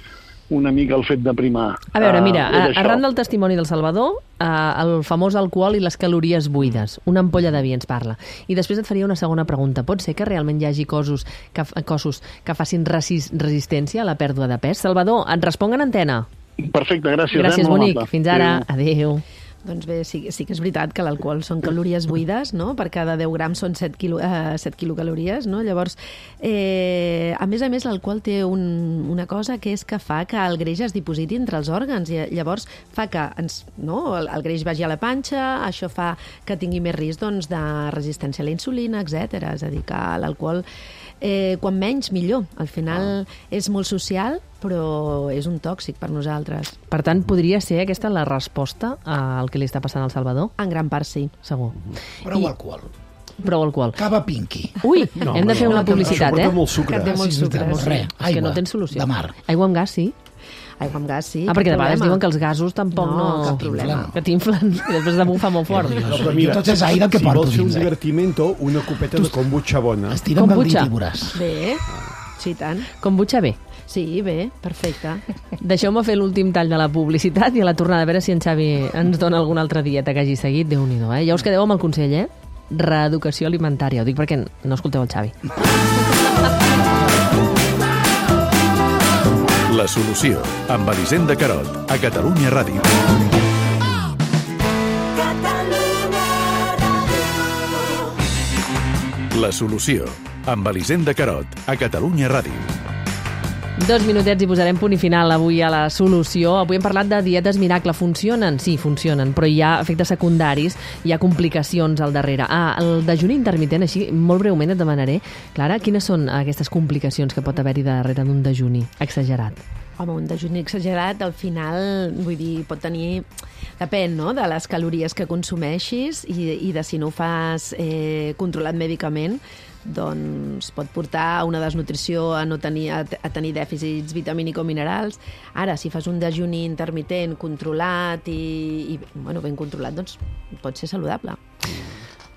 una mica el fet de primar. A veure, mira, uh, arran del testimoni del Salvador, uh, el famós alcohol i les calories buides, una ampolla de vi ens parla. I després et faria una segona pregunta. Pot ser que realment hi hagi cossos que, cossos que facin resist, resistència a la pèrdua de pes? Salvador, et responc en antena. Perfecte, gràcies. Gràcies, eh? bonic. Fins ara. Adéu. Doncs bé, sí, sí que és veritat que l'alcohol són calories buides, no? Per cada deu grams són set, quilo, eh, set quilocalories, no? Llavors, eh, a més a més, l'alcohol té un, una cosa que és que fa que el greix es dipositi entre els òrgans i llavors fa que ens, no? el, el greix vagi a la panxa, això fa que tingui més risc doncs, de resistència a la insulina, etcètera. És a dir, que l'alcohol Eh, quan menys, millor. Al final ah. és molt social, però és un tòxic per nosaltres. Per tant, podria ser aquesta la resposta al que li està passant al Salvador? En gran part, sí. Segur. Prou I... alcohol. Prou alcohol. Cava Pinky. Ui, no, hem de fer no, una publicitat, eh? Que molt sucre. Que té molt sucre. No, res. És que no tens solució. De mar. Aigua amb gas, sí. Aigua amb gas, sí. Ah, perquè de vegades diuen que els gasos tampoc no... No, cap problema. Que t'inflen i després de bufar molt fort. No, però mira, tot és aire que si porto vols fer un dins, eh? divertimento, una copeta de kombucha bona. Estira'm el dit i veuràs. Bé, sí, tant. Kombucha bé. Sí, bé, perfecte. Deixeu-me fer l'últim tall de la publicitat i a la tornada a veure si en Xavi ens dona alguna altra dieta que hagi seguit. Déu-n'hi-do, eh? Ja us quedeu amb el consell, eh? Reeducació alimentària. Ho dic perquè no escolteu el Xavi. La solució, amb Elisenda Carot, a Catalunya Ràdio. La solució, amb Elisenda Carot, a Catalunya Ràdio. Dos minutets i posarem punt i final avui a la solució. Avui hem parlat de dietes miracle. Funcionen? Sí, funcionen, però hi ha efectes secundaris, hi ha complicacions al darrere. Ah, el dejuni intermitent, així, molt breument et demanaré, Clara, quines són aquestes complicacions que pot haver-hi darrere d'un dejuni exagerat? Home, un dejuni exagerat, al final, vull dir, pot tenir... Depèn, no?, de les calories que consumeixis i, i de si no ho fas eh, controlat mèdicament, doncs pot portar a una desnutrició, a, no tenir, a, a tenir dèficits vitamínico-minerals. Ara, si fas un dejuni intermitent controlat i, i bueno, ben controlat, doncs pot ser saludable.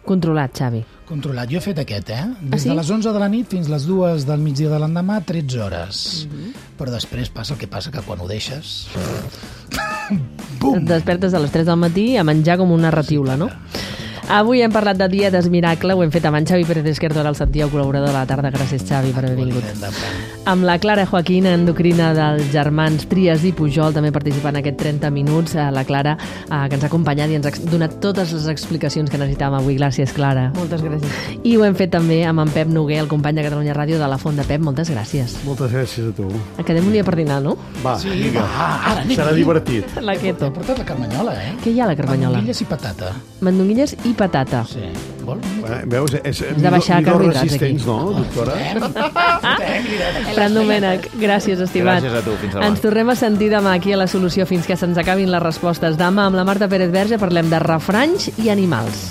Controlat, Xavi. Controlat. Jo he fet aquest, eh? Des ah, sí? de les onze de la nit fins les dues del migdia de l'endemà, tretze hores. Uh-huh. Però després passa el que passa, que quan ho deixes... Bum! Et despertes a les tres del matí a menjar com una ratiula, no? Avui hem parlat de dietes miracle, ho hem fet amb en Xavi Pérez Esquerdo, el Santiago, col·laborador de la tarda. Gràcies, Xavi, per haver vingut. Amb la Clara Joaquín, endocrina dels germans Trias i Pujol, també participant en aquest trenta minuts. La Clara, eh, que ens ha acompanyat i ens ha donat totes les explicacions que necessitàvem avui. Gràcies, Clara. Moltes gràcies. I ho hem fet també amb en Pep Noguer, el company de Catalunya Ràdio de la Font de Pep. Moltes gràcies. Moltes gràcies a tu. Quedem un dia per dinar, no? Va, sí, vinga. Va, ara anem. Serà divertit. La keto. He portat la carmanyola, eh? Què hi ha a la carmanyola? Mandonguilles i patata. Mandonguilles i patata. Sí. Vol? Eh, veus? És, Has de baixar carbohidrats aquí. No, doctora? Fran Domènech, gràcies, estimat. Gràcies a tu, fins demà. Ens tornem a sentir demà aquí a La Solució fins que se'ns acabin les respostes. Demà amb la Marta Pérez Verge parlem de refranys i animals.